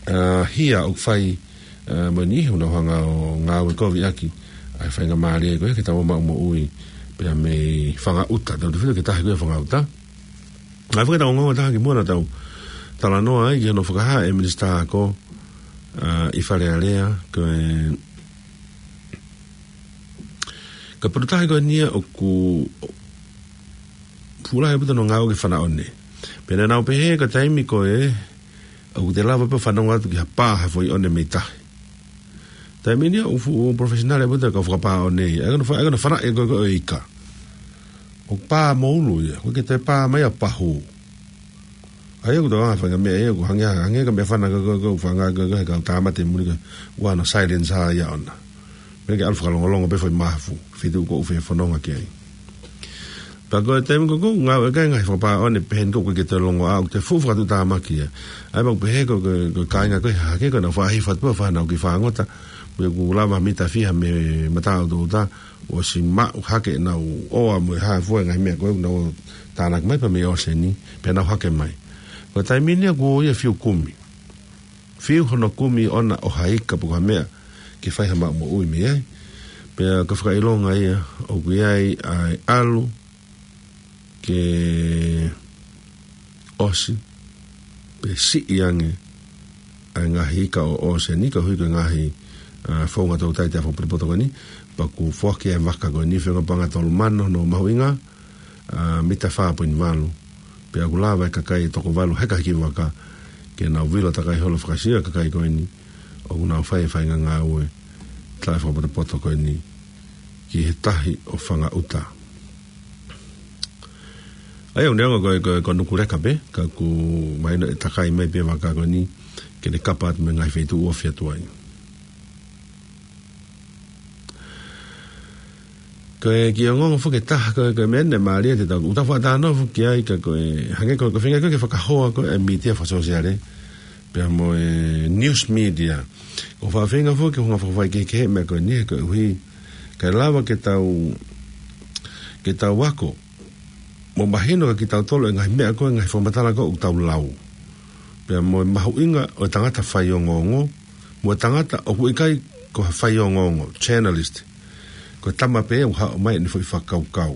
ʻa, hia ʻoku fai, ʻa, mo e niʻihi ʻoku nau hanga ʻo ngāue kovi ʻaki ʻa e faingamālie ko ia ke tau maʻu moʻui pea mei Fangaʻuta, tautefito ki he tahi ko ia Fangaʻuta. ʻA ia fakaʻofoʻofa ʻa e taha ki muʻa naʻa tau talanoa ai ki hono fakahā ʻe he Minisitā Ako, ʻa, ʻi Fale Alea, ko e, ko e potu tahi ko eni ia ʻoku fuʻu lahi ʻaupito hono ngāue ki he fana ʻone. Pea naʻa nau pehē ko e taimi ko ē ʻoku te lava pē ʻo fanongo atu ki ha pā ha foʻi ʻone mei tahi. Taimi ni ia ʻoku fuʻu professional ʻaupito e kau fakapā ʻone ia. ʻA ia ko hono fa-, ʻa ia ko hono fanaʻi ko ē ko e ika. ʻOku pā mo ulu ia, ʻoku ʻikai ke toe pā mai ʻo pahū. ʻA ia ʻoku tau anga fanga meʻa ia, ʻoku hangē, hangē ko e meʻa fana ko ē, ko ē, ko e fanga ko ē, ko e kau tāmate muli ko ē, ʻoku ʻi ai hono silence ia ʻona. Meʻa ke ʻalu fakalongolongo pē foʻi mahafu, feituʻu ko ē ʻoku fefononga ki ai. Pea ko e taimi ko ē ʻoku ngāue ki ai e ngaahi fakapā ʻone pehē ni ʻoku ʻikai ke toe longoaʻa, ʻoku toe fuʻu fakatuʻutāmaki ia. ʻA ia pea ʻoku pehē ko e, ko e, ko e kāinga ko ē hahake ko ē naʻa nau faʻa hifo atu pē ʻo fai honau kiʻi fāngota, pea ʻoku lava mita fiha mei he mataʻutuʻuta, ʻosi maʻu hake ʻenau ʻoa mo e hā fua e ngaahi meʻa ko ē ʻoku nau tānaki mai pea mei ʻōseni, pea nau hake mai. Ko e taimi ni ia kuo ʻi ai e fiu kumi. Fiu hono kumi ʻona ʻo ha ika pe ko ha meʻa ke fai ha maʻu moʻui mei ai. Pea ko e fakaʻilonga ia ʻoku ʻi ai ʻa e ʻalu ke ʻosi pe siʻi ange ʻa e ngaahi ika ʻo ʻōseni koeʻuhi ko e ngaahi, ʻa, founga toutai taʻefakapotopoto ko eni, pea ʻoku foaki ʻa e vaka ko eni, feinga paʻanga tolu mano hono mahuʻinga, ʻa, mita fā poini valu. Pea ʻoku lava e kakai ʻe toko valu heka he kiʻi vaka ke nau vilo takai holo ʻo fakasio e kakai ko eni ʻoku nau fai e faʻahinga ngāue taʻefakapotopoto ko eni ki he tahi ʻo Fangaʻuta. ʻA ia ʻoku neongo ko e, ko e, ko Nukuleka pē, ka ʻoku mahino ʻe takai mai pē e vaka ko eni ke ne kapa atu mei he ngaahi feituʻu ʻoku ofi atu ai. Ko e kiʻi ongoongo foki ʻe taha ko e, ko e meʻa naʻe mālie te tau, ʻoku tau faʻa talanoa foki ai ka ko e, hangē ko e, ko e feinga ko e ke fakahoa ko e mītia fakasōsiale, pea mo e news media. ʻOku faʻa feinga foki ke hanga fakafaikehekehe e meʻa ko eni he koeʻuhi, kae lava ke tau, ke tau ako, mo mahino kia kitautolu e ngaahi meʻa ko e ngaahi fakamatala ko ē ʻoku tau lau. Pea mo e mahuʻinga ʻo e tangata faiongoongo, mo e tangata ʻoku ʻikai ko ha faiongoongo, journalist. Ko e tama pē ʻoku haʻu mai ʻene foʻi fakakaukau.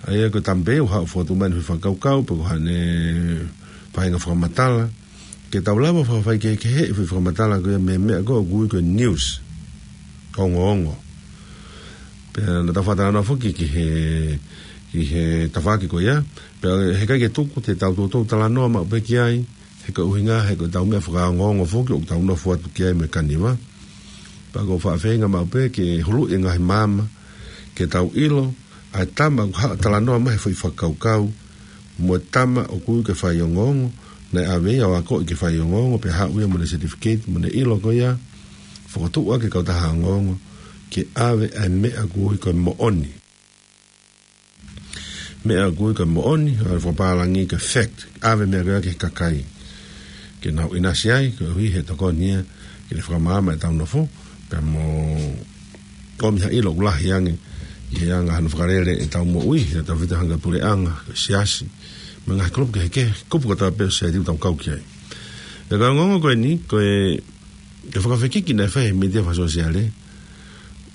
ʻA ia ko e tama pē ʻoku haʻu fotu mai ʻene foʻi fakakaukau, pe ko haʻane faʻahinga fakamatala. Ke tau lava fakafaikehekehe e foʻi fakamatala ko ia mei he meʻa ko ē ʻoku ui ko e news. Ongoongo. Pea naʻa tau faʻa talanoa foki ki he, ki he tafaʻaki ko ia. Pea heʻikai ke tuku te tau toutou talanoa maʻu pē ki ai. He ko e ʻuhinga, he ko ʻetau meʻa fakaongoongo foki ʻoku tau nofo atu ki ai mo e kaniva. Pea ʻoku ou faʻa feinga maʻu pē ke huluʻi e ngaahi maama, ke tau ʻilo, ʻa e tama ʻoku haʻu ʻo talanoa mai he foʻi fakakaukau, mo e tama ʻoku ui ko e faiongoongo, naʻe ʻave ia ʻo akoʻi ke faiongoongo, pea haʻu ia mo ʻene certificate, mo ʻene ʻilo ko ia, fokotuʻu ʻaki e kautaha ongoongo, ke ʻave ʻa e meʻa ʻoku ui ko e moʻoni. Meʻa ʻoku ui ko e moʻoni, ʻa e fakapālangi ko e fact, ʻave meʻa ko ia ki he kakai. Ke nau ʻinasi ai, koeʻuhi he tokoni ia, ke ne fakamaama ʻetau nofo, pea mo ʻomi ha ʻilo ʻoku lahi ange, ʻi he anga hano fakalele ʻetau moʻui, ʻetau vita hanga puleʻanga, ko e siasi, mo e ngaahi kulupu kehekehe, kupu kotoa pē ʻo e sētiti ʻoku tau kau ki ai. Pea ko e ongoongo ko eni, ko e, ko e fakafekiki naʻe fai he mītia fakasōsiale,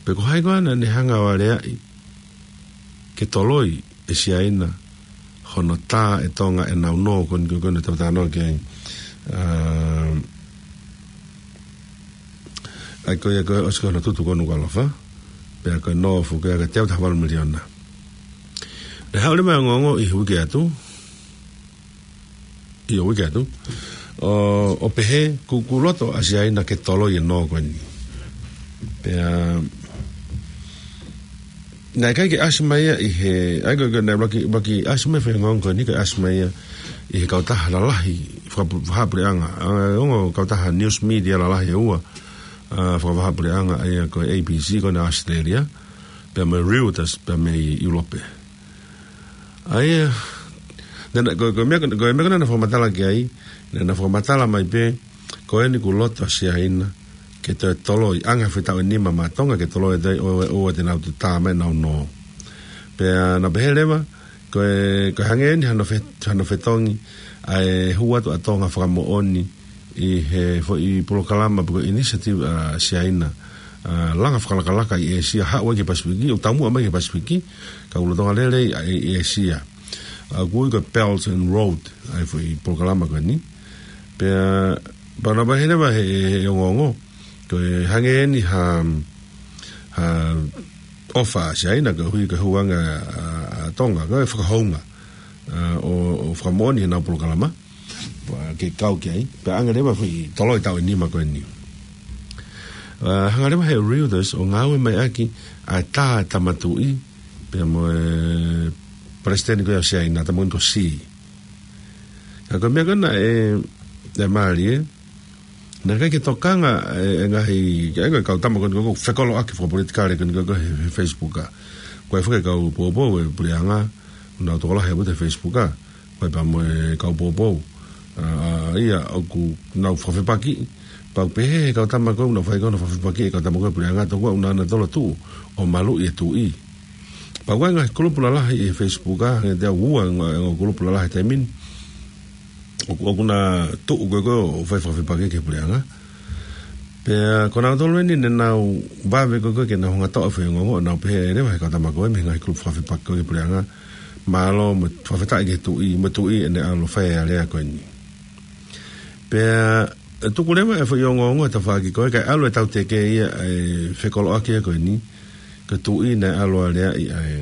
pe ko hai koā naʻa ne hanga ʻo aleaʻi, ke toloi ʻe Siaina, hono tā ʻe Tonga ʻenau nō ko eni ko ē naʻa tau talanoa ki ai. ʻA, ʻa ia ko ia ko e ʻosi ko hono tutu ko ē ʻa Nukuʻalofa, pea ko e nō foki ko ia ko e teau taha valu miliona. Naʻe haʻu leva e ongoongo ʻi he uike atu, ʻi he uike atu, ʻo, ʻo pehē ʻoku, ʻoku loto ʻa Siaina ke toloi e nō ko eni. Pea, naʻe ʻikai ke ʻasi mai ia ʻi he, ʻa ia ko e, ko e naʻe ʻuluaki, ʻuluaki ʻasi mai e foʻi ongoongo ko eni, ʻikai ʻasi mai ia ʻi he kautaha lalahi, faka-, fakavahaʻapuleʻanga. ʻA, ongo kautaha news media lalahi ʻe ua, ʻa, fakavahaʻapuleʻanga, ʻa ia ko e A B C ko ena ʻAositelēlia, pea mo e Reuters, pea mei ʻIulope. ʻA ia, naʻa, naʻa, ko, ko e meʻa, ko e meʻa ko ē naʻa na fakamatala ki ai, naʻa na fakamatala mai pē, ko eni ʻoku loto ʻa Siaina, ke toe toloi, anga e foʻi taʻu ʻe nima maʻa Tonga, ke toloi ʻe toe ʻo, ʻo, ʻo te nau toe tā mai ʻenau nō. Pea naʻa na pehē leva, ko e, ko e hangē eni hano fe-, hano fetongi, ʻa e hū atu ʻa Tonga fakamoʻoni, ʻi he foʻi polokalama pe ko e initiative ʻa Siaina, ʻa, langa fakalakalaka ʻi ʻĒsia, haʻu ai ki he Pasifiki, ʻo taumuʻa mai ki he Pasifiki, ka ʻoku lolotonga lele ʻi, ʻi ʻĒsia. ʻA, ʻoku ui ko e Belt and Road, ʻa e foʻi polokalama ko eni. Pea, pea naʻa na pehē leva he, he, he ongoongo, ko e hangē eni ha, ha ʻofa ʻa Siaina koeʻuhi ko e hū ange ʻa, ʻa, ʻa Tonga, ko e fakahounga, ʻa, ʻo, ʻo fakamoʻoni ʻenau polokalama, pea ke kau ki ai, pea ʻange leva e foʻi toloi taʻu ʻe nima ko eni. ʻA, hanga leva he Reuters ʻo ngāue mai ʻaki ʻa e tā ʻa e Tama Tuʻi, pea mo e Palesiteni ko ia ʻo Siaina, Tama Tuʻi ko Xi. Ka ko e meʻa ko ena ʻe, ʻe mālie, naʻe ʻikai ke tokanga e, e ngaahi, ke ʻai ko e kau tama ko eni ko ē ʻoku fekoloʻaki fakapolitikale ko eni ko ē he, he Facebook ʻa. Ko e faka kau poupou e puleʻanga, ʻoku nau tokolahi ʻaupito he Facebook ʻa. Ko e pea mo e kau poupou. ʻA, ʻa ia ʻoku nau fakafepaki, pau pehē he kau tama ko ē, ʻoku nau fai ko ē hono fakafepaki e kau tama ko ē puleʻanga, tokua ʻoku nau ʻangatonu ʻo tuʻu, ʻo maluʻi e tuʻi. Pea ko e ngaahi kulupu lalahi ʻi he Facebook ʻa, hangē te au ua e ngaahi, ngaahi kulupu lalahi he taimi ni. ʻOku, ʻoku na tuʻu ko ē ko ē ʻo fai fakafepaki ki he puleʻanga. Pea ko nautolu eni naʻa nau vave ko ē ko ē ke nau hanga ʻo toʻo e foʻi ongoongo, ʻo nau pehē leva he kau tama ko ē mei he ngaahi kulupu fakafepaki ko ē ki he puleʻanga. Mālō mo e fakafetaʻi ki he tuʻi, mo e tuʻi ʻene ʻalu ʻo fai e alea ko eni. Pea, ʻe tuku leva e foʻi ongoongo he tafaʻaki ko ē, kae ʻalu e tauteke ia ʻa e fekoloʻaki ia ko eni, ko e tuʻi naʻe ʻalu ʻo aleaʻi ʻa e,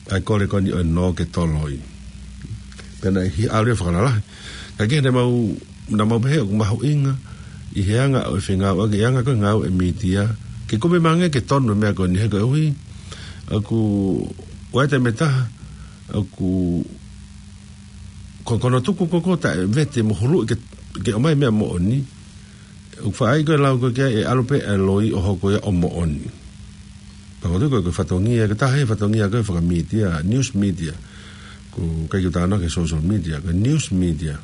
ʻa e kole ko eni ʻo e nō ke toloi. Pea naʻe hiki ʻalu ia ʻo fakalalahi. Ka ko e naʻa mau, naʻa mau pehē ʻoku mahuʻinga, ʻi he anga ʻo e fengāueʻaki, ʻi he anga ko ē ngāue e mītia, ke kumi mai ange ke tonu e meʻa ko eni he koeʻuhi, ʻoku, ʻoku ʻi ai e taimi ʻe taha, ʻoku ko, ko hono tuku ko ē ko ē taʻe vete mo huluʻi ke, ke ʻomai e meʻa moʻoni, ʻoku faʻa ʻai ko ē e lau ko ē ki ai ʻe ʻalu pē e loi ʻo hoko ia ʻo moʻoni. Pea ko e, ko e fatongia, ko e taha e fatongia ko e fakamītia, news media. ʻOku ʻikai ke u talanoa ki he social media, ko e news media.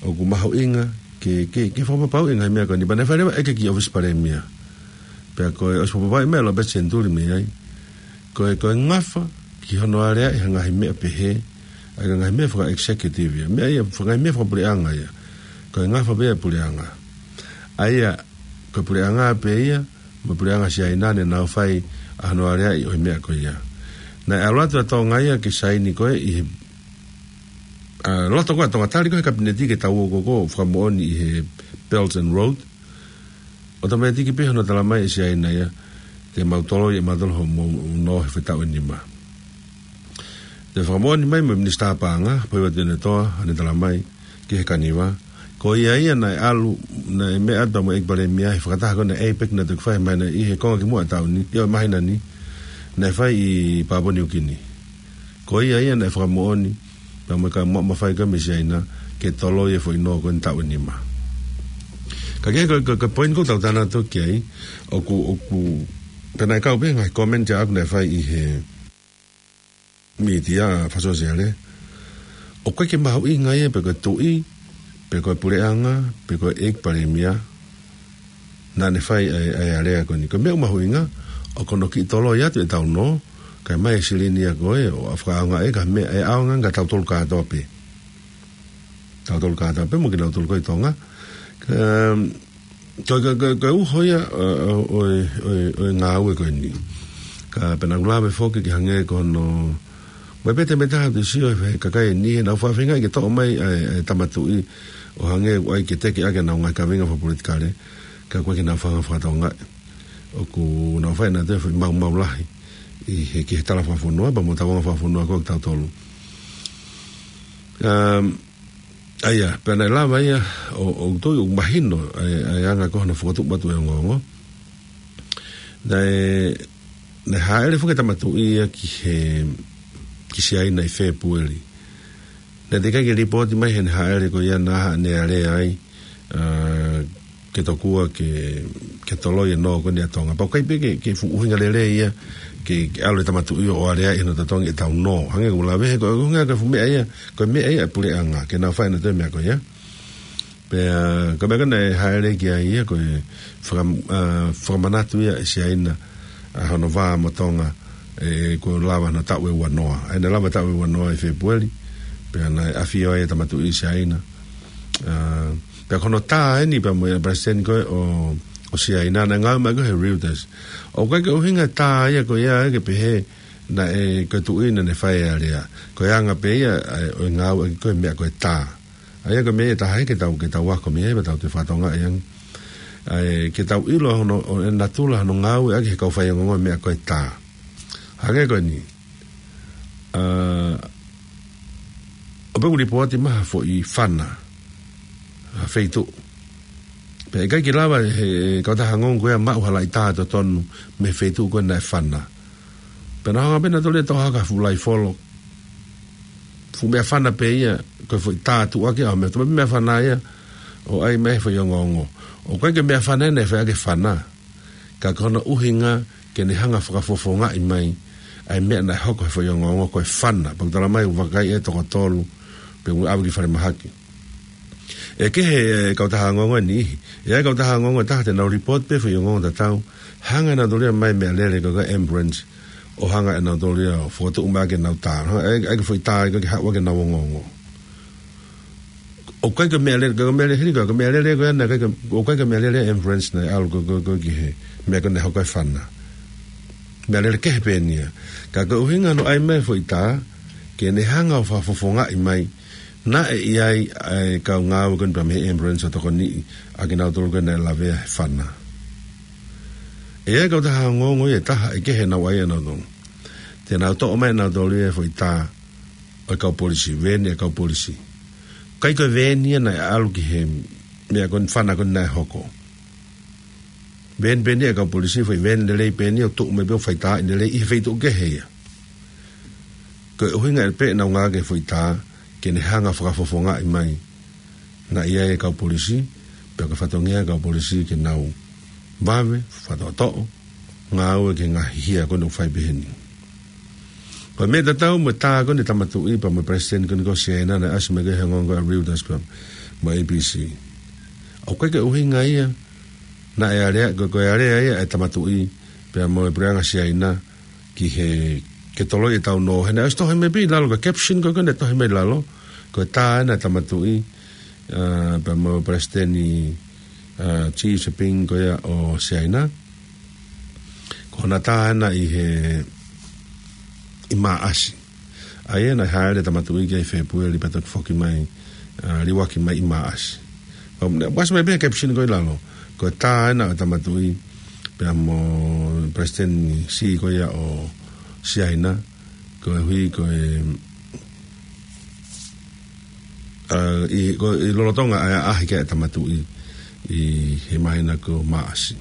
ʻOku mahuʻinga ke, ke, ke fakapapauʻi e ngaahi meʻa ko eni. Pea naʻe fai leva e ʻeke ki he ʻōfisi palēmia. Pea ko e ʻosi fakapapauʻi mai ʻe Lopeti Senituli mei ai. Ko e, ko e ngafa ki hono aleaʻi ha ngaahi meʻa pehē, ʻa e ngaahi meʻa faka-executive ia. Meʻa ia, faka-, ngaahi meʻa fakapuleʻanga ia. Ko e ngafa pē ia e puleʻanga. ʻA ia, ko e puleʻanga pē ia, mo e puleʻanga Siaina ne nau fai ʻa hono aleaʻi ʻo e meʻa ko ia. Naʻe ʻalu atu ʻa Tonga ia ke saini ko ē ʻi he, ʻa, loto ko ē ʻa Tonga, tali ko ē he kapineti ke tau ō ko ē ʻo fakamoʻoni ʻi he Belt and Road. ʻOtomētiki pē hono talamai ʻe Siaina ia, te mau toloi ʻe mautolu hoʻomou nō he foʻi taʻu ʻe nima. Toe fakamoʻoni mai mo e Minisitā Paʻanga, Pohiva Tuʻiʻonetoa, ʻa ʻene talamai ki he kaniva. Ko ia ia naʻe ʻalu, naʻe meʻa atu mo e ʻEiki Palēmia he fakataha ko ē ʻa e APEC naʻe toki fai mai ʻi he konga kimuʻa ʻo e taʻu ni, ʻio, māhina ni, naʻe fai ʻi Papua Niukini. Ko ia ia naʻe fakamoʻoni, pea mo e kau maʻu mafai ko ē mei Siaina, ke toloi e foʻi nō ko eni taʻu ʻe nima. Ka ko e, ko e, ko e, ko e poini ʻoku tau talanoa atu ki ai, ʻoku, ʻoku, pea naʻe kau pē ngaahi komeni ʻaʻaku naʻe fai ʻi he mītia fakasōsiale. ʻOku ʻikai ke mahuʻinga ia pe ko e tuʻi, pe ko e puleʻanga, pe ko e ʻEiki Palēmia, naʻa ne fai ʻa e, ʻa e alea ko eni. Ko e meʻa ʻoku mahuʻinga, ʻoku ne kiʻi toloi atu ʻetau nō, kae ʻomai e silini ia ko ē, ʻo fakaʻaongaʻi e ngaahi meʻa, ʻe ʻaonga kia tautolu kātoa pē. Tautolu kātoa pē mo kinautolu ko ē ʻi Tonga. Ka, ko, ko, ko, ko e uho ia, ʻo, ʻo, ʻo, ʻo, ʻo e ngāue ko eni. Ka pea naʻa ku lave foki ki he hangē ko hono, mo e pete meta te sio he kakai ni, he naʻa nau feinga ke toʻo mai ʻa e, ʻa e Tama Tuʻi, ʻo hangē ʻoku ʻai ke teke ʻaki ʻenau ngaahi kaveinga fakapolitikale, ka ʻoku ʻikai ke nau feinga fakatokangaʻi. ʻOku nau fai ʻenautolu e foʻi maumau lahi ʻi he, ki he tala fakafonua, pea mo e tauʻanga fakafonua ko ē ʻo tautolu. Um, ʻA ia, pea naʻe lava ia, ʻo, ʻo tui, ʻo mahino, ʻa e, ʻa e anga ko ē hono fokotuʻu atu e ongoongo. Naʻe, naʻe hāʻele foki e Tama Tuʻi ia ki he, ki Siaina ʻi Fēpueli. Naʻe teʻeki ai ke lipooti mai heʻene hāʻele ko ia naʻa ne alea ai, ʻa, ke tokua ke, ke toloi e nō ko eni ʻa Tonga. Pea ʻoku ʻikai pē ke, ke fuʻu ʻuhinga lelei ia, ke, ke ʻalu e Tama Tuʻi ʻo aleaʻi hono totongi ʻetau nō. Hangē ko e lave he ko e ʻuhinga ko e fuʻu meʻa ia, ko e meʻa ia ʻa e puleʻanga, ke nau fai ʻenautolu e meʻa ko ia. Pea, ko e meʻa ko ē naʻe hāʻele ki ai ia, ko e faka-, ʻa, fakamanatu ia ʻe Siaina, ʻa hono vā mo Tonga, ʻe, kuo lava hono taʻu ʻe uanoa. ʻA ia naʻe lava taʻu ʻe uanoa ʻi Fēpueli, pea naʻe ʻafio ai e Tama Tuʻi ʻi Siaina. ʻA, pea ko hono tā eni pea mo e palesiteni ko ē ʻo, ʻo Siaina naʻe ngāue mai ko ē he Reuters. ʻOku ʻikai ke ʻuhinga e tā ia ko ia ke pehē naʻe ko e tuʻi naʻa ne fai e alea. Ko e anga pē ia, ʻa e, ʻo e ngāueʻaki ko ē e meʻa ko e tā. ʻA ia ko e meʻa ia ʻe taha ia ke tau, ke tau ako mei ai, pea tau toe fakatokangaʻi ange. ʻA e, ke tau ʻilo hono, ʻo e natula hono ngāueʻaki he kau faiongoongo e meʻa ko e tā. Hangē ko eni. ʻA, ʻoku pē ʻoku lipooti mai ha foʻi fana, ha feituʻu. Pea ʻikai ke lava he, he kautaha ongoongo ko ia ʻo maʻu ha laʻi tā totonu mei he feituʻu ko ē naʻe fana. Pea nau hanga pē ʻenautolu ia ʻo toʻo hake ha fuʻu laifolo. Fuʻu meʻafana pē ia, ko e foʻi tā tuʻuaki ʻa e meʻa, tuʻu meʻafana ia, ʻo ʻai mai he foʻi ongoongo. ʻOku ʻikai ke meʻafana ia naʻe fai ʻaki e fana. Ka ko hono ʻuhinga ke ne hanga ʻo fakafofongaʻi mai ʻa e meʻa naʻe hoko he foʻi ongoongo ko e fana. Pea ʻoku talamai ʻoku vakai ʻe he toko tolu, pea ʻoku ʻave ki falemahaki. ʻE kehe e kautaha ongoongo ʻe niʻihi. ʻE ʻi ai e kautaha ongoongo ʻe taha te nau lipooti pē foʻi ongoongo tatau. Hanga ʻenautolu ia ʻo ʻomai e meʻalele ko ē ko e ambulance. ʻO hanga ʻenautolu ia ʻo fokotuʻu mai ʻaki ʻenau tā. Hanga ʻe, ʻe foʻi tā ia ko ē ke haʻu ʻaki ʻenau ongoongo. ʻOku ʻikai ko e meʻalele, ko e meʻalele hili ko e, ko e meʻalele ko ē naʻe ʻikai ko e, ʻoku ʻikai ko e meʻalele ambulance naʻe ʻalu ko ē, ko ē, ko ē ki he meʻa ko ē naʻe hoko ai e fana. Meʻalele kehe pē eni ia. Ka ko e ʻuhinga hono ʻai mai e foʻi tā, ke ne hanga ʻo fakafofongaʻi mai, naʻe ʻi ai ʻa e kau ngāue ko eni pea mei he ambulance ʻo tokoniʻi ʻa kinautolu ko ē naʻe lavea he fana. ʻE ʻi ai e kautaha ongoongo ia ʻe taha ʻe kehe ʻenau ʻai ʻenautolu. Te nau toʻo mai ʻenautolu ia e foʻi tā ʻo e kau polisi, veeni ʻa e kau polisi. ʻIkai ko e veeni ia naʻe ʻalu ki he meʻa ko eni, fana ko eni naʻe hoko. Veeni pē eni ia ʻa e kau polisi, foʻi veeni lelei pē eni ia ʻoku tuʻu mai pē ʻo faitāʻi lelei ʻi he feituʻu kehe ia. Ko e ʻuhinga ia pē ʻenau ngāueʻaki e foʻi tā, ke ne hanga ʻo fakafofongaʻi mai naʻe ʻi ai e kau polisi, pea ko e fatongia e kau polisi ke nau vave, fakatoʻotoʻo, ngāue ki he ngaahi hia ko ē naʻe fai pehē ni. Ko e meʻa tatau mo e tā ko eni ʻa e Tama Tuʻi pea mo e Palesiteni ko eni ko Siaina naʻe ʻasi mai ki he ongoongo ʻa Reuters pea mo e A B C. ʻOku ʻikai ke ʻuhinga ia naʻe alea, ko, ko e alea ia ʻa e Tama Tuʻi pea mo e Puleʻanga Siaina ki he, ke toloi ʻetau nō. He naʻe ʻosi tohi mai pē ʻi lalo, ko e caption ko ē naʻe tohi mai ʻi lalo, ko e tā ena ʻa e Tama Tuʻi, ā, pea mo e Palesiteni, ā, Xi Jinping ko ia ʻo Siaina. Ko hona tā ena ʻi he, ʻi Maʻasi. ʻA ia naʻe hāʻele ʻa e Tama Tuʻi ki ai ʻi Fēpueli pea toki foki mai, ā, liuaki mai ʻi Maʻasi. Pea naʻe ʻosi mai pē he caption ko ē ʻi lalo, ko e tā ena ʻa e Tama Tuʻi pea mo e Palesiteni Xi ko ia ʻo Siaina, koeʻuhi ko e, ā, ʻi, ko e, ʻi lolotonga ʻa e ʻaʻahi ki ai ʻa e Tama Tuʻi ʻi he māhina ko Maʻasi.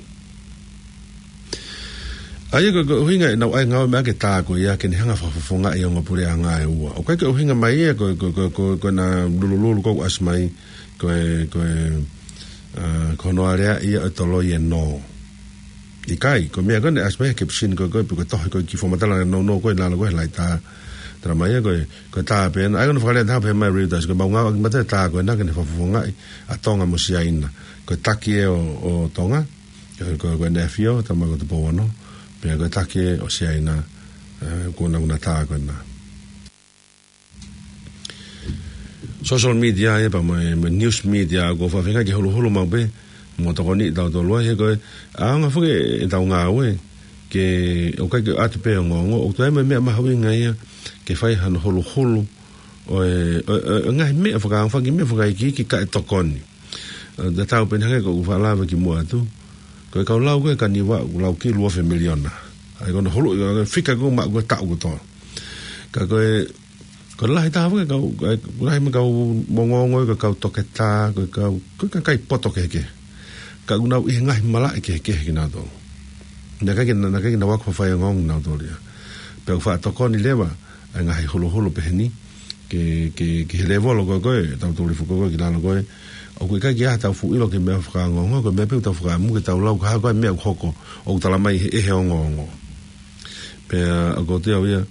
ʻA ia ko, ko e ʻuhinga ʻenau ʻai ngāue mai ʻaki e tā ko ia ke ne hanga ʻo fakafofongaʻi ʻa e ongo puleʻanga ʻe ua. ʻOku ʻikai ke ʻuhinga mai ia ko, ko, ko, ko, ko ʻena lulululu ko ē ʻoku ʻasi mai, ko e, ko e, ā, ko hono alea ia ʻo e toloi e nō. ʻIkai, ko e meʻa ko ē naʻe ʻasi mai he caption ko ē, ko e, pe ko e tohi ko ē ki he fakamatala nounou ko ē ʻi lalo ko ē he laitā. Tala mai ia ko e, ko e tā pē ena, ʻa ia ko hono fakalea ʻe taha pē mai Reuters, ko ʻemau ngāueʻaki mai e tā ko ena ke ne fakafofongaʻi ʻa Tonga mo Siaina. Ko e taki ē ʻo, ʻo Tonga, ko, ko, ko ʻEne ʻAfio, Tama ko Tupou Ono, pea ko e taki ē ʻo Siaina, ē, ko ʻena, ko ʻena tā ko ena. Social media ia pea mo e, mo e news media, ʻoku ou feinga ke huluhulu maʻu pē mo tokoniʻi kitautolu ai, he ko e ʻaonga foki ʻetau ngāue ke ʻoku ʻikai ke ʻoatu pē ongoongo, ʻoku toe ʻi ai mo e meʻa mahuʻinga ia ke fai hano huluhulu ʻo e, ʻo e, ʻo e, ʻo e ngaahi meʻa fakaongo, faki meʻa fakaikiiki kae tokoni. Ā, tatau pē eni hangē ko ʻeku faʻa lave kimuʻa atu. Ko e kau lau ko ē ʻa Kaniva, ʻoku lau ki he ua afe miliona. ʻA ia ko hono hulu, ko e fika ko ē maʻu ko ē taʻu kotoa. Ka ko e, ko e lahi taha foki e kau, ko e lahi mo e kau ongoongo, ko e kau toketā, ko e kau, ko e kakai poto kehekehe. Ka ʻoku nau ʻi he ngaahi malaʻe kehekehe kinautolu. Naʻe ʻikai ke, naʻe ʻikai ke nau ako fai ongoongo kinautolu ia. Pea ʻoku faʻa tokoni leva ʻa e ngaahi huluhulu pehē ni, ke, ke, ki he lēvolo ko ē, ko ē, ʻetau tulifua ko ē ki lalo ko ē. ʻOku ʻikai ke ʻi ai haʻatau fuʻu ʻilo ki he meʻa fakaongoongo, ko e meʻa pē ʻoku tau fakaʻamu ke tau lau, ka ko e hā e meʻa ʻoku hoko, ʻoku tala mai ʻe he, ʻe he ongoongo. Pea ʻoku ou tui au ia,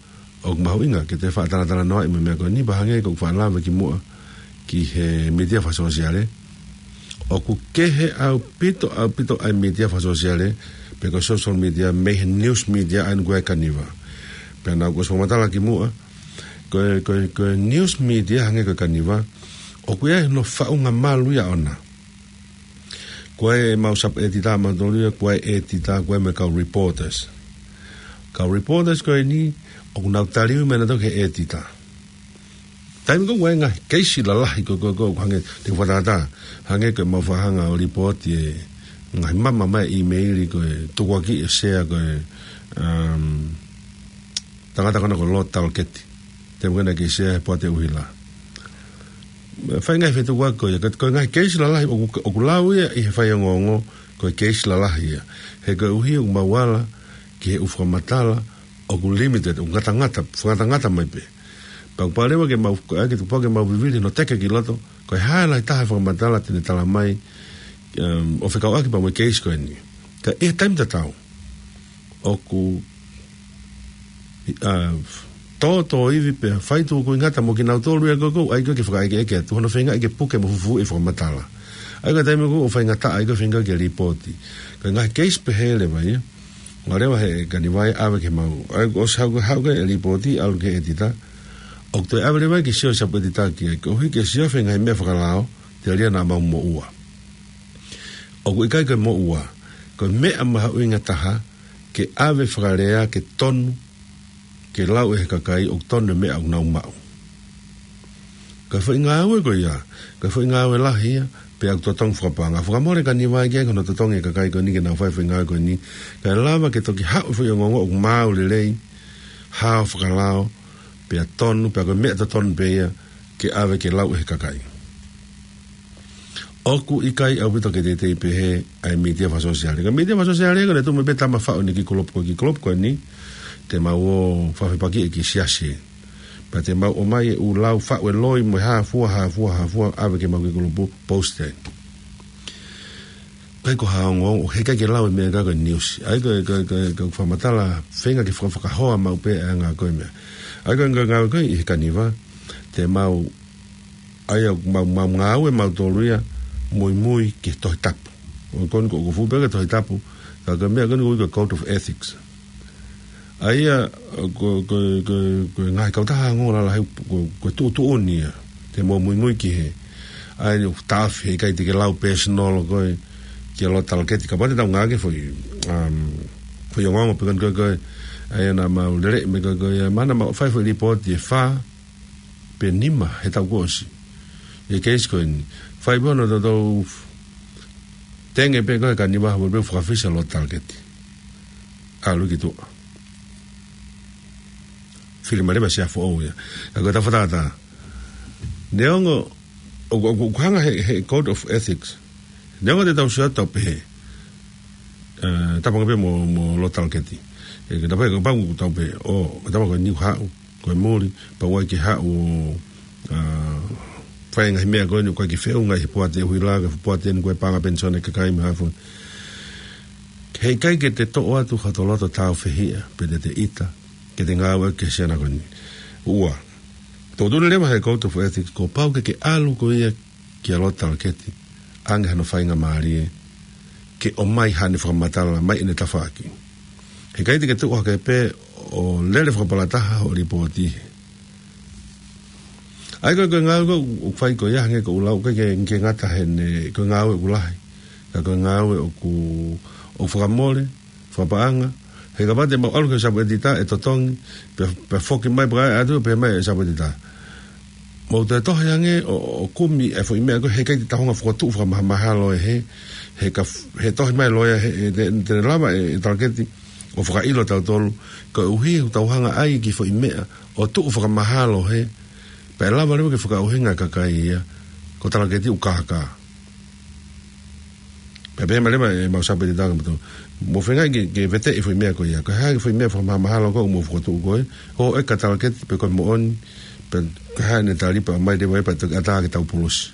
ʻoku mahuʻinga ke toe faʻa talatalanoaʻi mo e meʻa ko eni, pea hangē ko ʻeku faʻa lave kimuʻa ki he mītia fakasōsiale. ʻOku kehe ʻaupito, ʻaupito ʻa e mītia fakasōsiale, pe ko e social media, mei he news media ʻa eni ko ē ʻa Kaniva. Pea naʻá ku ʻosi fakamatala kimuʻa, ko e, ko e, ko e news media hangē ko ē ʻa Kaniva, ʻoku ʻi ai hono faʻunga malu ia ʻona. Ko e mau sub-editor mautolu ia, ko e editor, ko e mo e kau reporters. Kau reporters ko eni, ʻoku nau taliui mai nautolu ki he editor. Taimi ko ē ʻoku ʻi ai e ngaahi keisi lalahi ko ē, ko ē, ko ē, hangē, te u fakatātā, hangē ko ʻemau fakahanga ʻo lipooti e ngaahi mama mai e ʻīmeili ko ē tukuakiʻi ʻe Sea ko e, um, tangata ko ena ko Lord Talkeeti. Taimi ko ena naʻe kei Sea he poate ʻuhila. Fai ngaahi fetukuaki ko ia, ka ko e ngaahi keisi lalahi ʻoku, ʻoku lau ia ʻi he faiongoongo, ko e keisi lalahi ia. He koeʻuhi ʻoku mau ala ki he ʻū fakamatala ʻoku limited, ʻoku ngatangata, fakangatangata mai pē. Pea ʻoku pau leva ke mau, ko e ʻai ke tupu ke mau vivili hono teke ki loto, ko e hā e lahi taha e fakamatala te ne tala mai, um, ʻo fekauʻaki pea mo e keisi ko eni. Ka ʻi he taimi tatau, ʻoku, ā, tōtōivi pea fai tukuingata mo kinautolu ia ko ē ʻoku ʻai ko ē ke fakaʻekeʻeke atu hono feingaʻi ke puke mo fufuuʻi e fakamatala. ʻA ia ko e taimi ko ē ʻoku faingataʻa ai ko ē feinga ke lipooti. Ko e ngaahi keisi pehē leva ia. Ua leva he Kaniva ia ʻave ke mau. ʻA ia ʻosi haʻu, haʻu ko ē e lipooti, ʻalu ki he editor. ʻOku toe ʻave leva ke sio e sub-editor ki ai, koeʻuhi ke sio e feinga he meʻa fakalao, telia naʻa mau moʻua. ʻOku ʻikai ko e moʻua, ko e meʻa mahuʻinga taha, ke ʻave fakalea ke tonu, ke lau ʻe he kakai ʻoku tonu e meʻa ʻoku nau maʻu. Ko e foʻi ngāue ko ia, ko e foʻi ngāue lahi ia, pea ʻoku totonu fakapaʻanga. Fakamole Kaniva ia ki ai ko hono totongi e kakai ko eni ke nau fai e foʻi ngāue ko eni. Kae lava ke toki haʻu e foʻi ongoongo ʻoku maau lelei, hao fakalao, pea tonu, pea ko e meʻa totonu pē ia, ke ʻave ke lau ʻe he kakai. ʻOku ʻikai ʻaupito ke teitei pehē ʻa e mītia fakasōsiale. Ko e mītia fakasōsiale ko ē naʻe tuʻu mai pē tama faʻu eni ki he kulupu ko ē, ki he kulupu ko eni, te mau ō fakafepakiʻi ki he siasi. Pea te mau ʻomai e ʻū lau faʻu e loi mo e hā fua, hā fua, hā fua, ʻave ke mau ki he kulupu post ē. ʻIkai ko ha ongoongo, ʻoku ʻikai ke lau e meʻa ko ē ʻa e niusi. ʻA ia ko e, ko e, ko e, ko e fakamatala feinga ke fakafakahoa maʻu pē ʻa e anga ko ē meʻa. ʻA ia ko e ngāue ko ē ʻi he Kaniva, te mau, ʻa ia mau, mau ngāue mautolu ia, muimui ki he Tohi Tapu. ʻOku, ko eni ko ē ʻoku fuʻu pē ki he Tohi Tapu, ka ko e meʻa ko eni ʻoku ui ko e Code of Ethics. ʻA ia, ko, ko, ko, ko e ngaahi kautaha ongoongo lalahi, ko, ko e tuʻutuʻuni ia. Te mau muimui ki he, ʻa ia ʻoku taʻofi he ʻikai te ke lau personal ko ē, ki he Lord Talaketi, kapau te tau ngāueʻaki e foʻi, um, foʻi ongoongo pē ko eni ko ē, ʻa ia naʻa mau lele mai ko ē, ko ia, mana mau fai foʻi lipooti ʻe fā, pe nima he taʻu kuo ʻosi. ʻI he keisi ko eni, fai pē hono toutou tenge pē ko ē ʻa e Kaniva, mo pē fakafisi ʻa Lord Talaketi. ʻAlu ki tuʻa. Fili mai leva ʻe he Sea foʻou ia. Ka ko e tau fakatātā. Neongo, ʻoku, ʻoku, ʻoku hanga he, he Code of Ethics. Neongo te tau sio atu pē he, eh, tapanga pē mo, mo Lord Talaketi. ʻE, ke tapa, kapau ʻoku tau pehē, ʻo, ke tapa ko eni ʻoku haʻu, ko e muli, pea ʻoua ʻe ke haʻu ʻo, ah, fai e ngaahi meʻa ko eni ʻoku ʻikai ke feʻunga ʻi he poate ʻuhila, ke poate eni ko e paʻanga penisone ʻa e kakai mo e hā fua. He ʻikai ke te toʻo atu ha toloto tāufehiʻa, pe te te ʻita, ke te ngāueʻaki he Sea ko eni. Ua, tuʻutuʻuni leva he Code of Ethics, kuo pau ke ke ʻalu koe ia kia Lord Talaketi, ʻoange hano faingamālie, ke ʻomai haʻane fakamatala, mai ʻene tafaʻaki. He ʻikai te ke tuʻu hake pē ʻo lele fakapalataha hoʻo lipooti. ʻA ia ko e, ko e ngāue ko ē ʻoku fai ko ia hangē ko ʻeku lau, ʻikai ke, ke ngata heʻene, ko e ngāue ʻoku lahi. Ka ko e ngāue ʻoku, ʻoku fakamole, fakapaʻanga, he kapau te mau ʻalu ki he Sapu ʻEtita ʻe totongi, pea, pea foki mai pea ʻai atu, pea mai e Sapu ʻEtita. Mou toe tohi ange ʻo, ʻo kumi e foʻi meʻa ko ē, he ʻikai te tau hanga ʻo fokotuʻu fakamahamahalo ʻe he, he ka f-, he tohi mai loea he, he te, te ne lava ʻe, ʻe Talaketi ʻo fakaʻilo tautolu, koeʻuhi ʻoku tau hanga ʻai ki he foʻi meʻa ʻo tuʻu fakamahalo he, pea ʻe lava leva ke fakaʻuhinga e kakai ia, ko Talaketi ʻoku kākā. Pea pehē mai leva ʻe he mau Sapu ʻEtita kia moutolu, mou feinga ke, ke veteʻi e foʻi meʻa ko ia. Ko e hā e foʻi meʻa fakamahamahalo ko ē ʻoku mou fokotuʻu ko ē, ʻo e ka Talaketi pe ko e moʻoni, pe ko e hā ʻene tali, pea ʻomai leva ia pea toki ʻatā ke tau pulusi.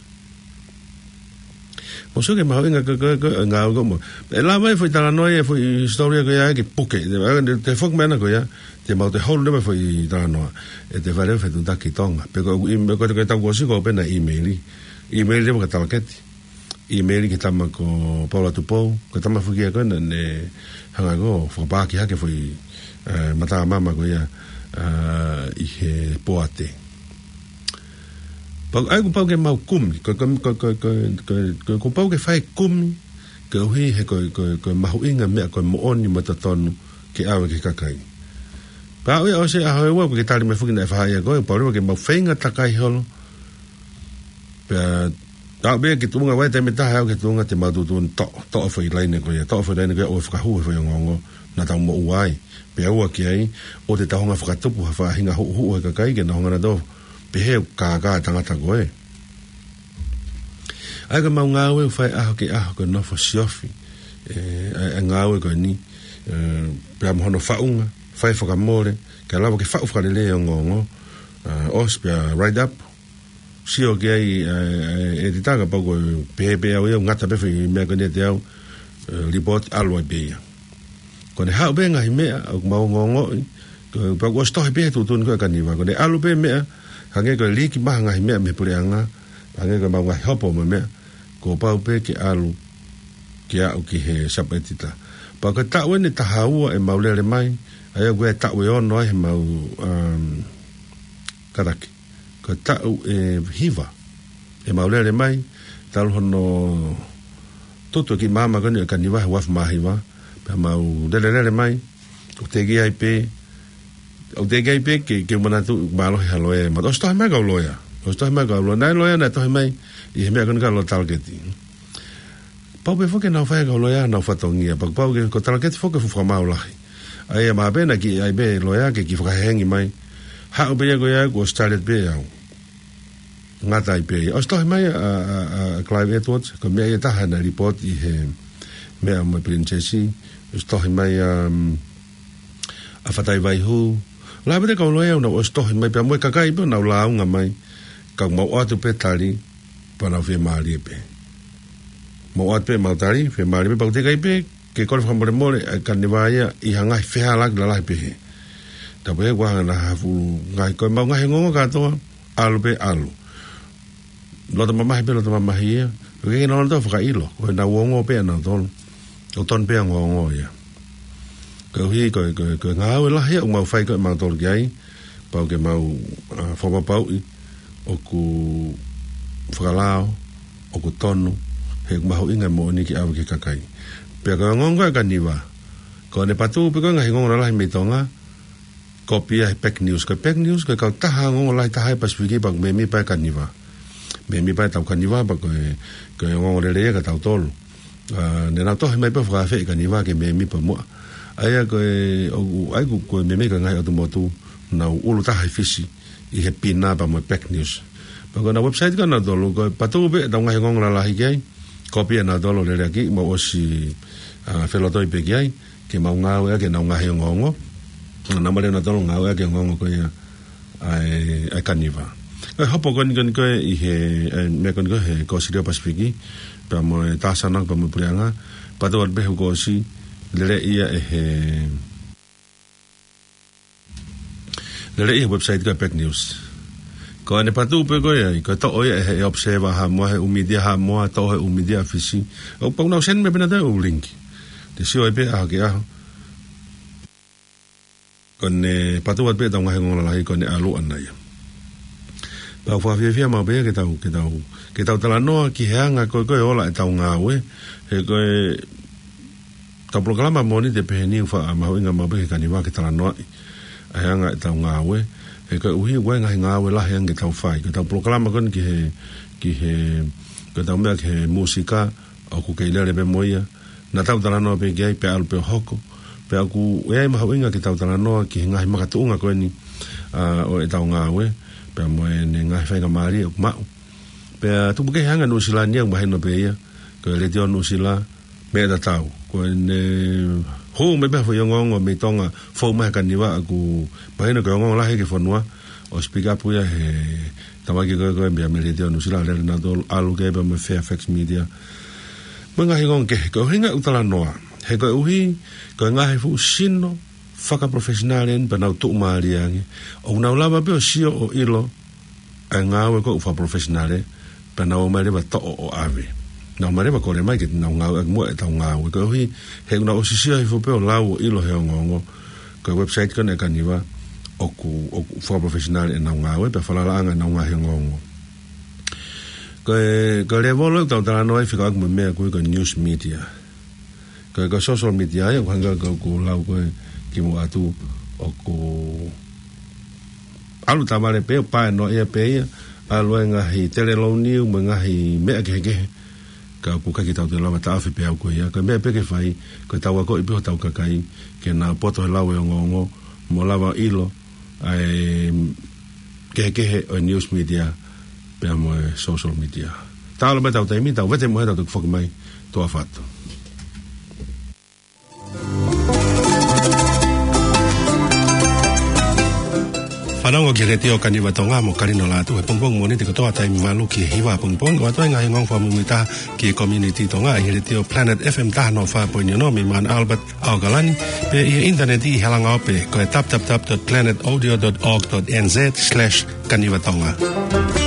Mou sio ki he mahuʻinga ko ē, ko e, ko e ngāue ko ē mo. ʻE lava e foʻi talanoa ia, e foʻi hisitōlia ko ia ke puke. Te, te foki mai ʻana ko ia, te mau toe holo leva e foʻi talanoa. ʻE toe fai leva e fetuʻutaki ki Tonga. Pe ko e, ʻi, ko e, ko e taʻu kuo ʻosi ko ē pē naʻe ʻīmeili. ʻĪmeili leva kia Talaketi. ʻĪmeili ki he tama ko Paula Tupou, ko e tama foki ia ko ē naʻa ne hanga ko ē ʻo fakapaaki hake e foʻi, eh, matamama ko ia, eh, ʻi he poate. Pau, ʻa ia kuo pau ke mau kumi, ko, ko, kuo pau ke fai e kumi, koeʻuhi he ko, ko, ko e mahuʻinga e meʻa ko e moʻoni mo e totonu ke ʻave ki he kakai. Pea ʻoku ʻi ai e ʻaho ʻe ua, ko e ke tali mai foki naʻe fahaʻi ia ko ē, pau leva ke mau feinga takai holo, pea aʻu pē ki tuʻunga, ʻi he taimi ʻe taha aʻu ki tuʻunga te mau tuʻutuʻuni toʻo, toʻo e foʻi laine ko ia, toʻo e foʻi laine ko ia ʻo fakahū e foʻi ongoongo naʻa tau moʻua ai. Pea ua ki ai, ʻoua te tau hanga ʻo fakatupu ha faʻahinga huʻuhuʻu he kakai ke nau hanga nautolu ʻo pehē ʻoku kākā e tangata ko ē. ʻA ia ko e mau ngāue ʻoku fai ʻaho ki he ʻaho ko e nofo siofi. ʻE, ʻa e, ʻa e ngāue ko eni, ʻe, pea mo hono faʻunga, fai fakamole, ke lava ke faʻu fakalelei e ongoongo, ʻe, ʻosi pea write up, sio ki ai, ʻe, ʻe, ʻEtita kapau ko e pehē pē au ia, ngata pē foʻi meʻa ko eni ʻiate au, ʻe, lipooti ʻalu ai pē ia. Ko ʻene haʻu pē ngaahi meʻa ʻoku mau ongoongoʻi, ko, pea kuo ʻosi tohi pē he tuʻutuʻuni ko ē ʻa e Kaniva. Ko ʻene ʻalu pē meʻa, hangē ko e liʻekina ha ngaahi meʻa mei he puleʻanga, hangē ko e mau ngaahi hopo mo e meʻa, kuo pau pē ke ʻalu, ke aʻu ki he Sapu ʻEtita. Pea ko e taʻu eni ʻe taha ua ʻemau lele mai, ʻa ia ko e taʻu ʻe ono ai heʻemau, um, kataki. Ko e taʻu ʻe hiva ʻemau lele mai, talu hono tutu e kiʻi maama ko eni ʻo e Kaniva he uaafe mā hiva, pea mau lele lele mai, ʻoku teʻeki ai pē, ʻoku teʻeki ai pē ke, ke u manatu ʻoku mālohi ha loea. Pea ʻosi tohi mai e kau loea, ʻosi tohi mai e kau loea, naʻe loea naʻe tohi mai ʻi he meʻa ko eni kia Lord Talaketi. Pau pē foki ke nau fai e kau loea honau fatongia, pea pau ke, ko Talaketi foki ko e fuʻu fakamaau lahi. ʻA ia mahalo pē naʻe kiʻi ʻai pē e loea ke kiʻi fakahengi mai. Haʻu pē ia ko ia kuo ʻosi tali atu pē au. Ngata ai pē ia. ʻOsi tohi mai ʻa, ʻa, ʻa, ʻa Clive Edwards, ko e meʻa ia ʻe taha naʻe lipooti ʻi he meʻa mo e Pilinisesi, ʻosi tohi mai ʻa, um, ʻa Fatai Vaihū. Lahi pē e kau loea ʻoku nau ʻosi tohi mai pea mo e kakai pē ʻoku nau lāunga mai. Ka mau ʻoatu pē tali, pea nau fiemālie pē. Mau ʻoatu pē ʻemau tali, fiemālie pē, pea ʻoku teʻeki ai pē ke kole fakamolemole ʻa e Kaniva ia ʻi ha ngaahi fehālaaki lalahi pehē. Tapu he kuaha na hafu ngaahi ko ʻemau ngaahi ongoongo kātoa, ʻalu pē ʻalu. Loto mamahi pē, loto mamahi ia. ʻOku ʻikai ke nau lava ʻo fakaʻilo, ko ʻenau ongo pē ʻanautolu. ʻOku tonu pē ʻa e ongoongo ia. Koeʻuhi ko e, ko e, ko e ngāue lahi ia ʻoku mau fai ko ē ʻemautolu ki ai, pau ke mau, ʻa, fakapapauʻi ʻoku fakalao, ʻoku tonu, he ʻoku mahuʻinga e moʻoni ke ʻave ki he kakai. Pea ko e ongoongo ʻa e Kaniva, ko ʻene patu pē ko e ngaahi ongoongo lalahi mei Tonga, kopi ia he Pac News. Ko e Pac News, ko e kautaha ongoongo lahi taha ʻi Pasifiki, pea ʻoku mēmipa ʻa e Kaniva. Mēmipa ʻetau Kaniva, pea ko e, ko e ongoongo lelei ia kiate kitautolu. ʻA, ne nau tohi mai pē ʻo fakaafeʻi e Kaniva ke mēmipa muʻa. ʻA ia ko e, ʻoku, ʻa ia ko e, ko e mēmipa e ngaahi ʻotu motu, nau ʻulu taha ʻi Fisi, ʻi he Pina pea mo e Pac News. Pea ko ʻenau website ko ʻanautolu, ko e patu pē ʻetau ngaahi ongoongo lalahi ki ai, kopi ʻanautolu lelei ʻaki, mau ʻosi, ʻa, felotoi pē ki ai, ke mau ngāueʻaki ʻenau ngaahi ongoongo. Naʻa mau lele ʻanautolu ngāueʻaki e ongoongo ko ia ʻa e, ʻa e Kaniva. Ko e hopo ko eni ko eni ko ē ʻi he, ʻa e meʻa ko eni ko ē he Kōsilio Pasifiki, pea mo e Tāsana, pea mo e Puleʻanga, patu atu pē he kuo ʻosi, lele ia ʻe he, lele ia he website ko e Pac News. Ko ʻene patu pē ko ia, ko e toʻo ia ʻe he Observer Haʻamoa, he ʻū mītia Haʻamoa, toʻo he ʻū mītia ʻa Fisi. ʻOku pau ke nau send mai pē ʻe nautolu e ʻū link. Te sio ai pē ʻaho ki he ʻaho. Ko ʻene patu atu pē ʻetau ngaahi ongoongo lalahi ko ʻene ʻalu ʻana ia. Pea ʻoku fakafiefia maʻu pē ia ke tau, ke tau, ke tau talanoa ki he anga ko ē ko ē ola ʻetau ngāue, he ko e tau polokalama Mōnite pehē ni ʻoku fakamahuʻinga maʻu pē ki he Kaniva ke talanoaʻi ʻa e anga ʻetau ngāue, he koeʻuhi ʻoku ʻi ai e ngaahi ngāue lahi ange ke tau fai. Ko ʻetau polokalama ko eni ki he, ki he, ko ʻetau meʻa ki he mūsika, ʻoku kei lele pē mo ia, naʻa tau talanoa pē ki ai, pea ʻalu pē ʻo hoko. Pea ʻoku ʻi ai e mahuʻinga ke tau talanoa ki he ngaahi makatuʻunga ko eni, ʻa, ʻo ʻetau ngāue, pea mo ʻene ngaahi faingamālie ʻoku maʻu. Pea tupu kehe ange ʻa Nuʻusila ni ia, ʻoku mahino pē ia, ko e Letiō Nuʻusila, meʻa tatau. Ko ʻene hū mai pē ha foʻi ongoongo mei Tonga, fou mai he Kaniva, ʻoku mahino ko e ongoongo lahi ki he fonua, ʻosi pick up ia he tamaiki ko ē ko ē mei he Letiō Nuʻusila, lele ʻanautolu ʻalu ki ai pea mo e Fairfax Media. Mo e ngaahi ongoongo kehe, ko e ʻuhinga ʻeku talanoa, he koeʻuhi, ko e ngaahi fuʻu sino fakaprofessional eni pea nau tuʻumālie ange. ʻOku nau lava pē ʻo sio ʻo ʻilo ʻa e ngāue ko ē ʻoku fakaprofessional, pea nau ō mai leva ʻo toʻo ʻo ʻave. Nau ō mai leva ʻo kole mai ke nau ngāueʻaki muʻa ʻetau ngāue. Koeʻuhi, he ʻoku nau ʻosi sio hifo pē ʻo lau ʻo ʻilo he ongoongo, ko e website ko eni ʻa e Kaniva, ʻoku, ʻoku fakaprofessional ʻenau ngāue, pea falalaʻanga ʻenau ngaahi ongoongo. Ko e, ko e lēvolo ʻoku tau talanoa ai fekauʻaki mo e meʻa ko ē ko e news media. Ko e, ko e social media ia, ʻoku hangē ko ʻeku lau ko ē kimuʻa atu, ʻoku ʻalu tavale pē, ʻo pae noaʻia pē ia, ʻalu e ngaahi telelou niu mo e ngaahi meʻa kehekehe, ka ʻoku ʻikai ke tau toe lava taʻofi pē ʻa e ʻū ko ia. Ko e meʻa pē ke fai, ko ʻetau akoʻi pē hotau kakai ke nau poto he lau e ongoongo, mo lava ʻilo ʻa e kehekehe ʻo e news media pea mo e social media. Talu mai ʻetau taimi, tau vete mo e tau toki foki mai, tuʻa ʻofa atu. Fanongo ki he Letiō Kaniva Tonga mo Kalino Lātū he pongipongi Mōnite kotoa, taimi valu ki he hiva pongipongi, ʻoatu ai e ngaahi ongoongo fakamuimui taha ki he community Tonga ʻi he Letiō Planet F M taha noa fā poini ono mei Mount Albert, ʻAokalani, pea ʻi he ʻinitaneti ʻi he langa ope, ko e w w w dot planet audio dot org dot n z slash Kaniva Tonga.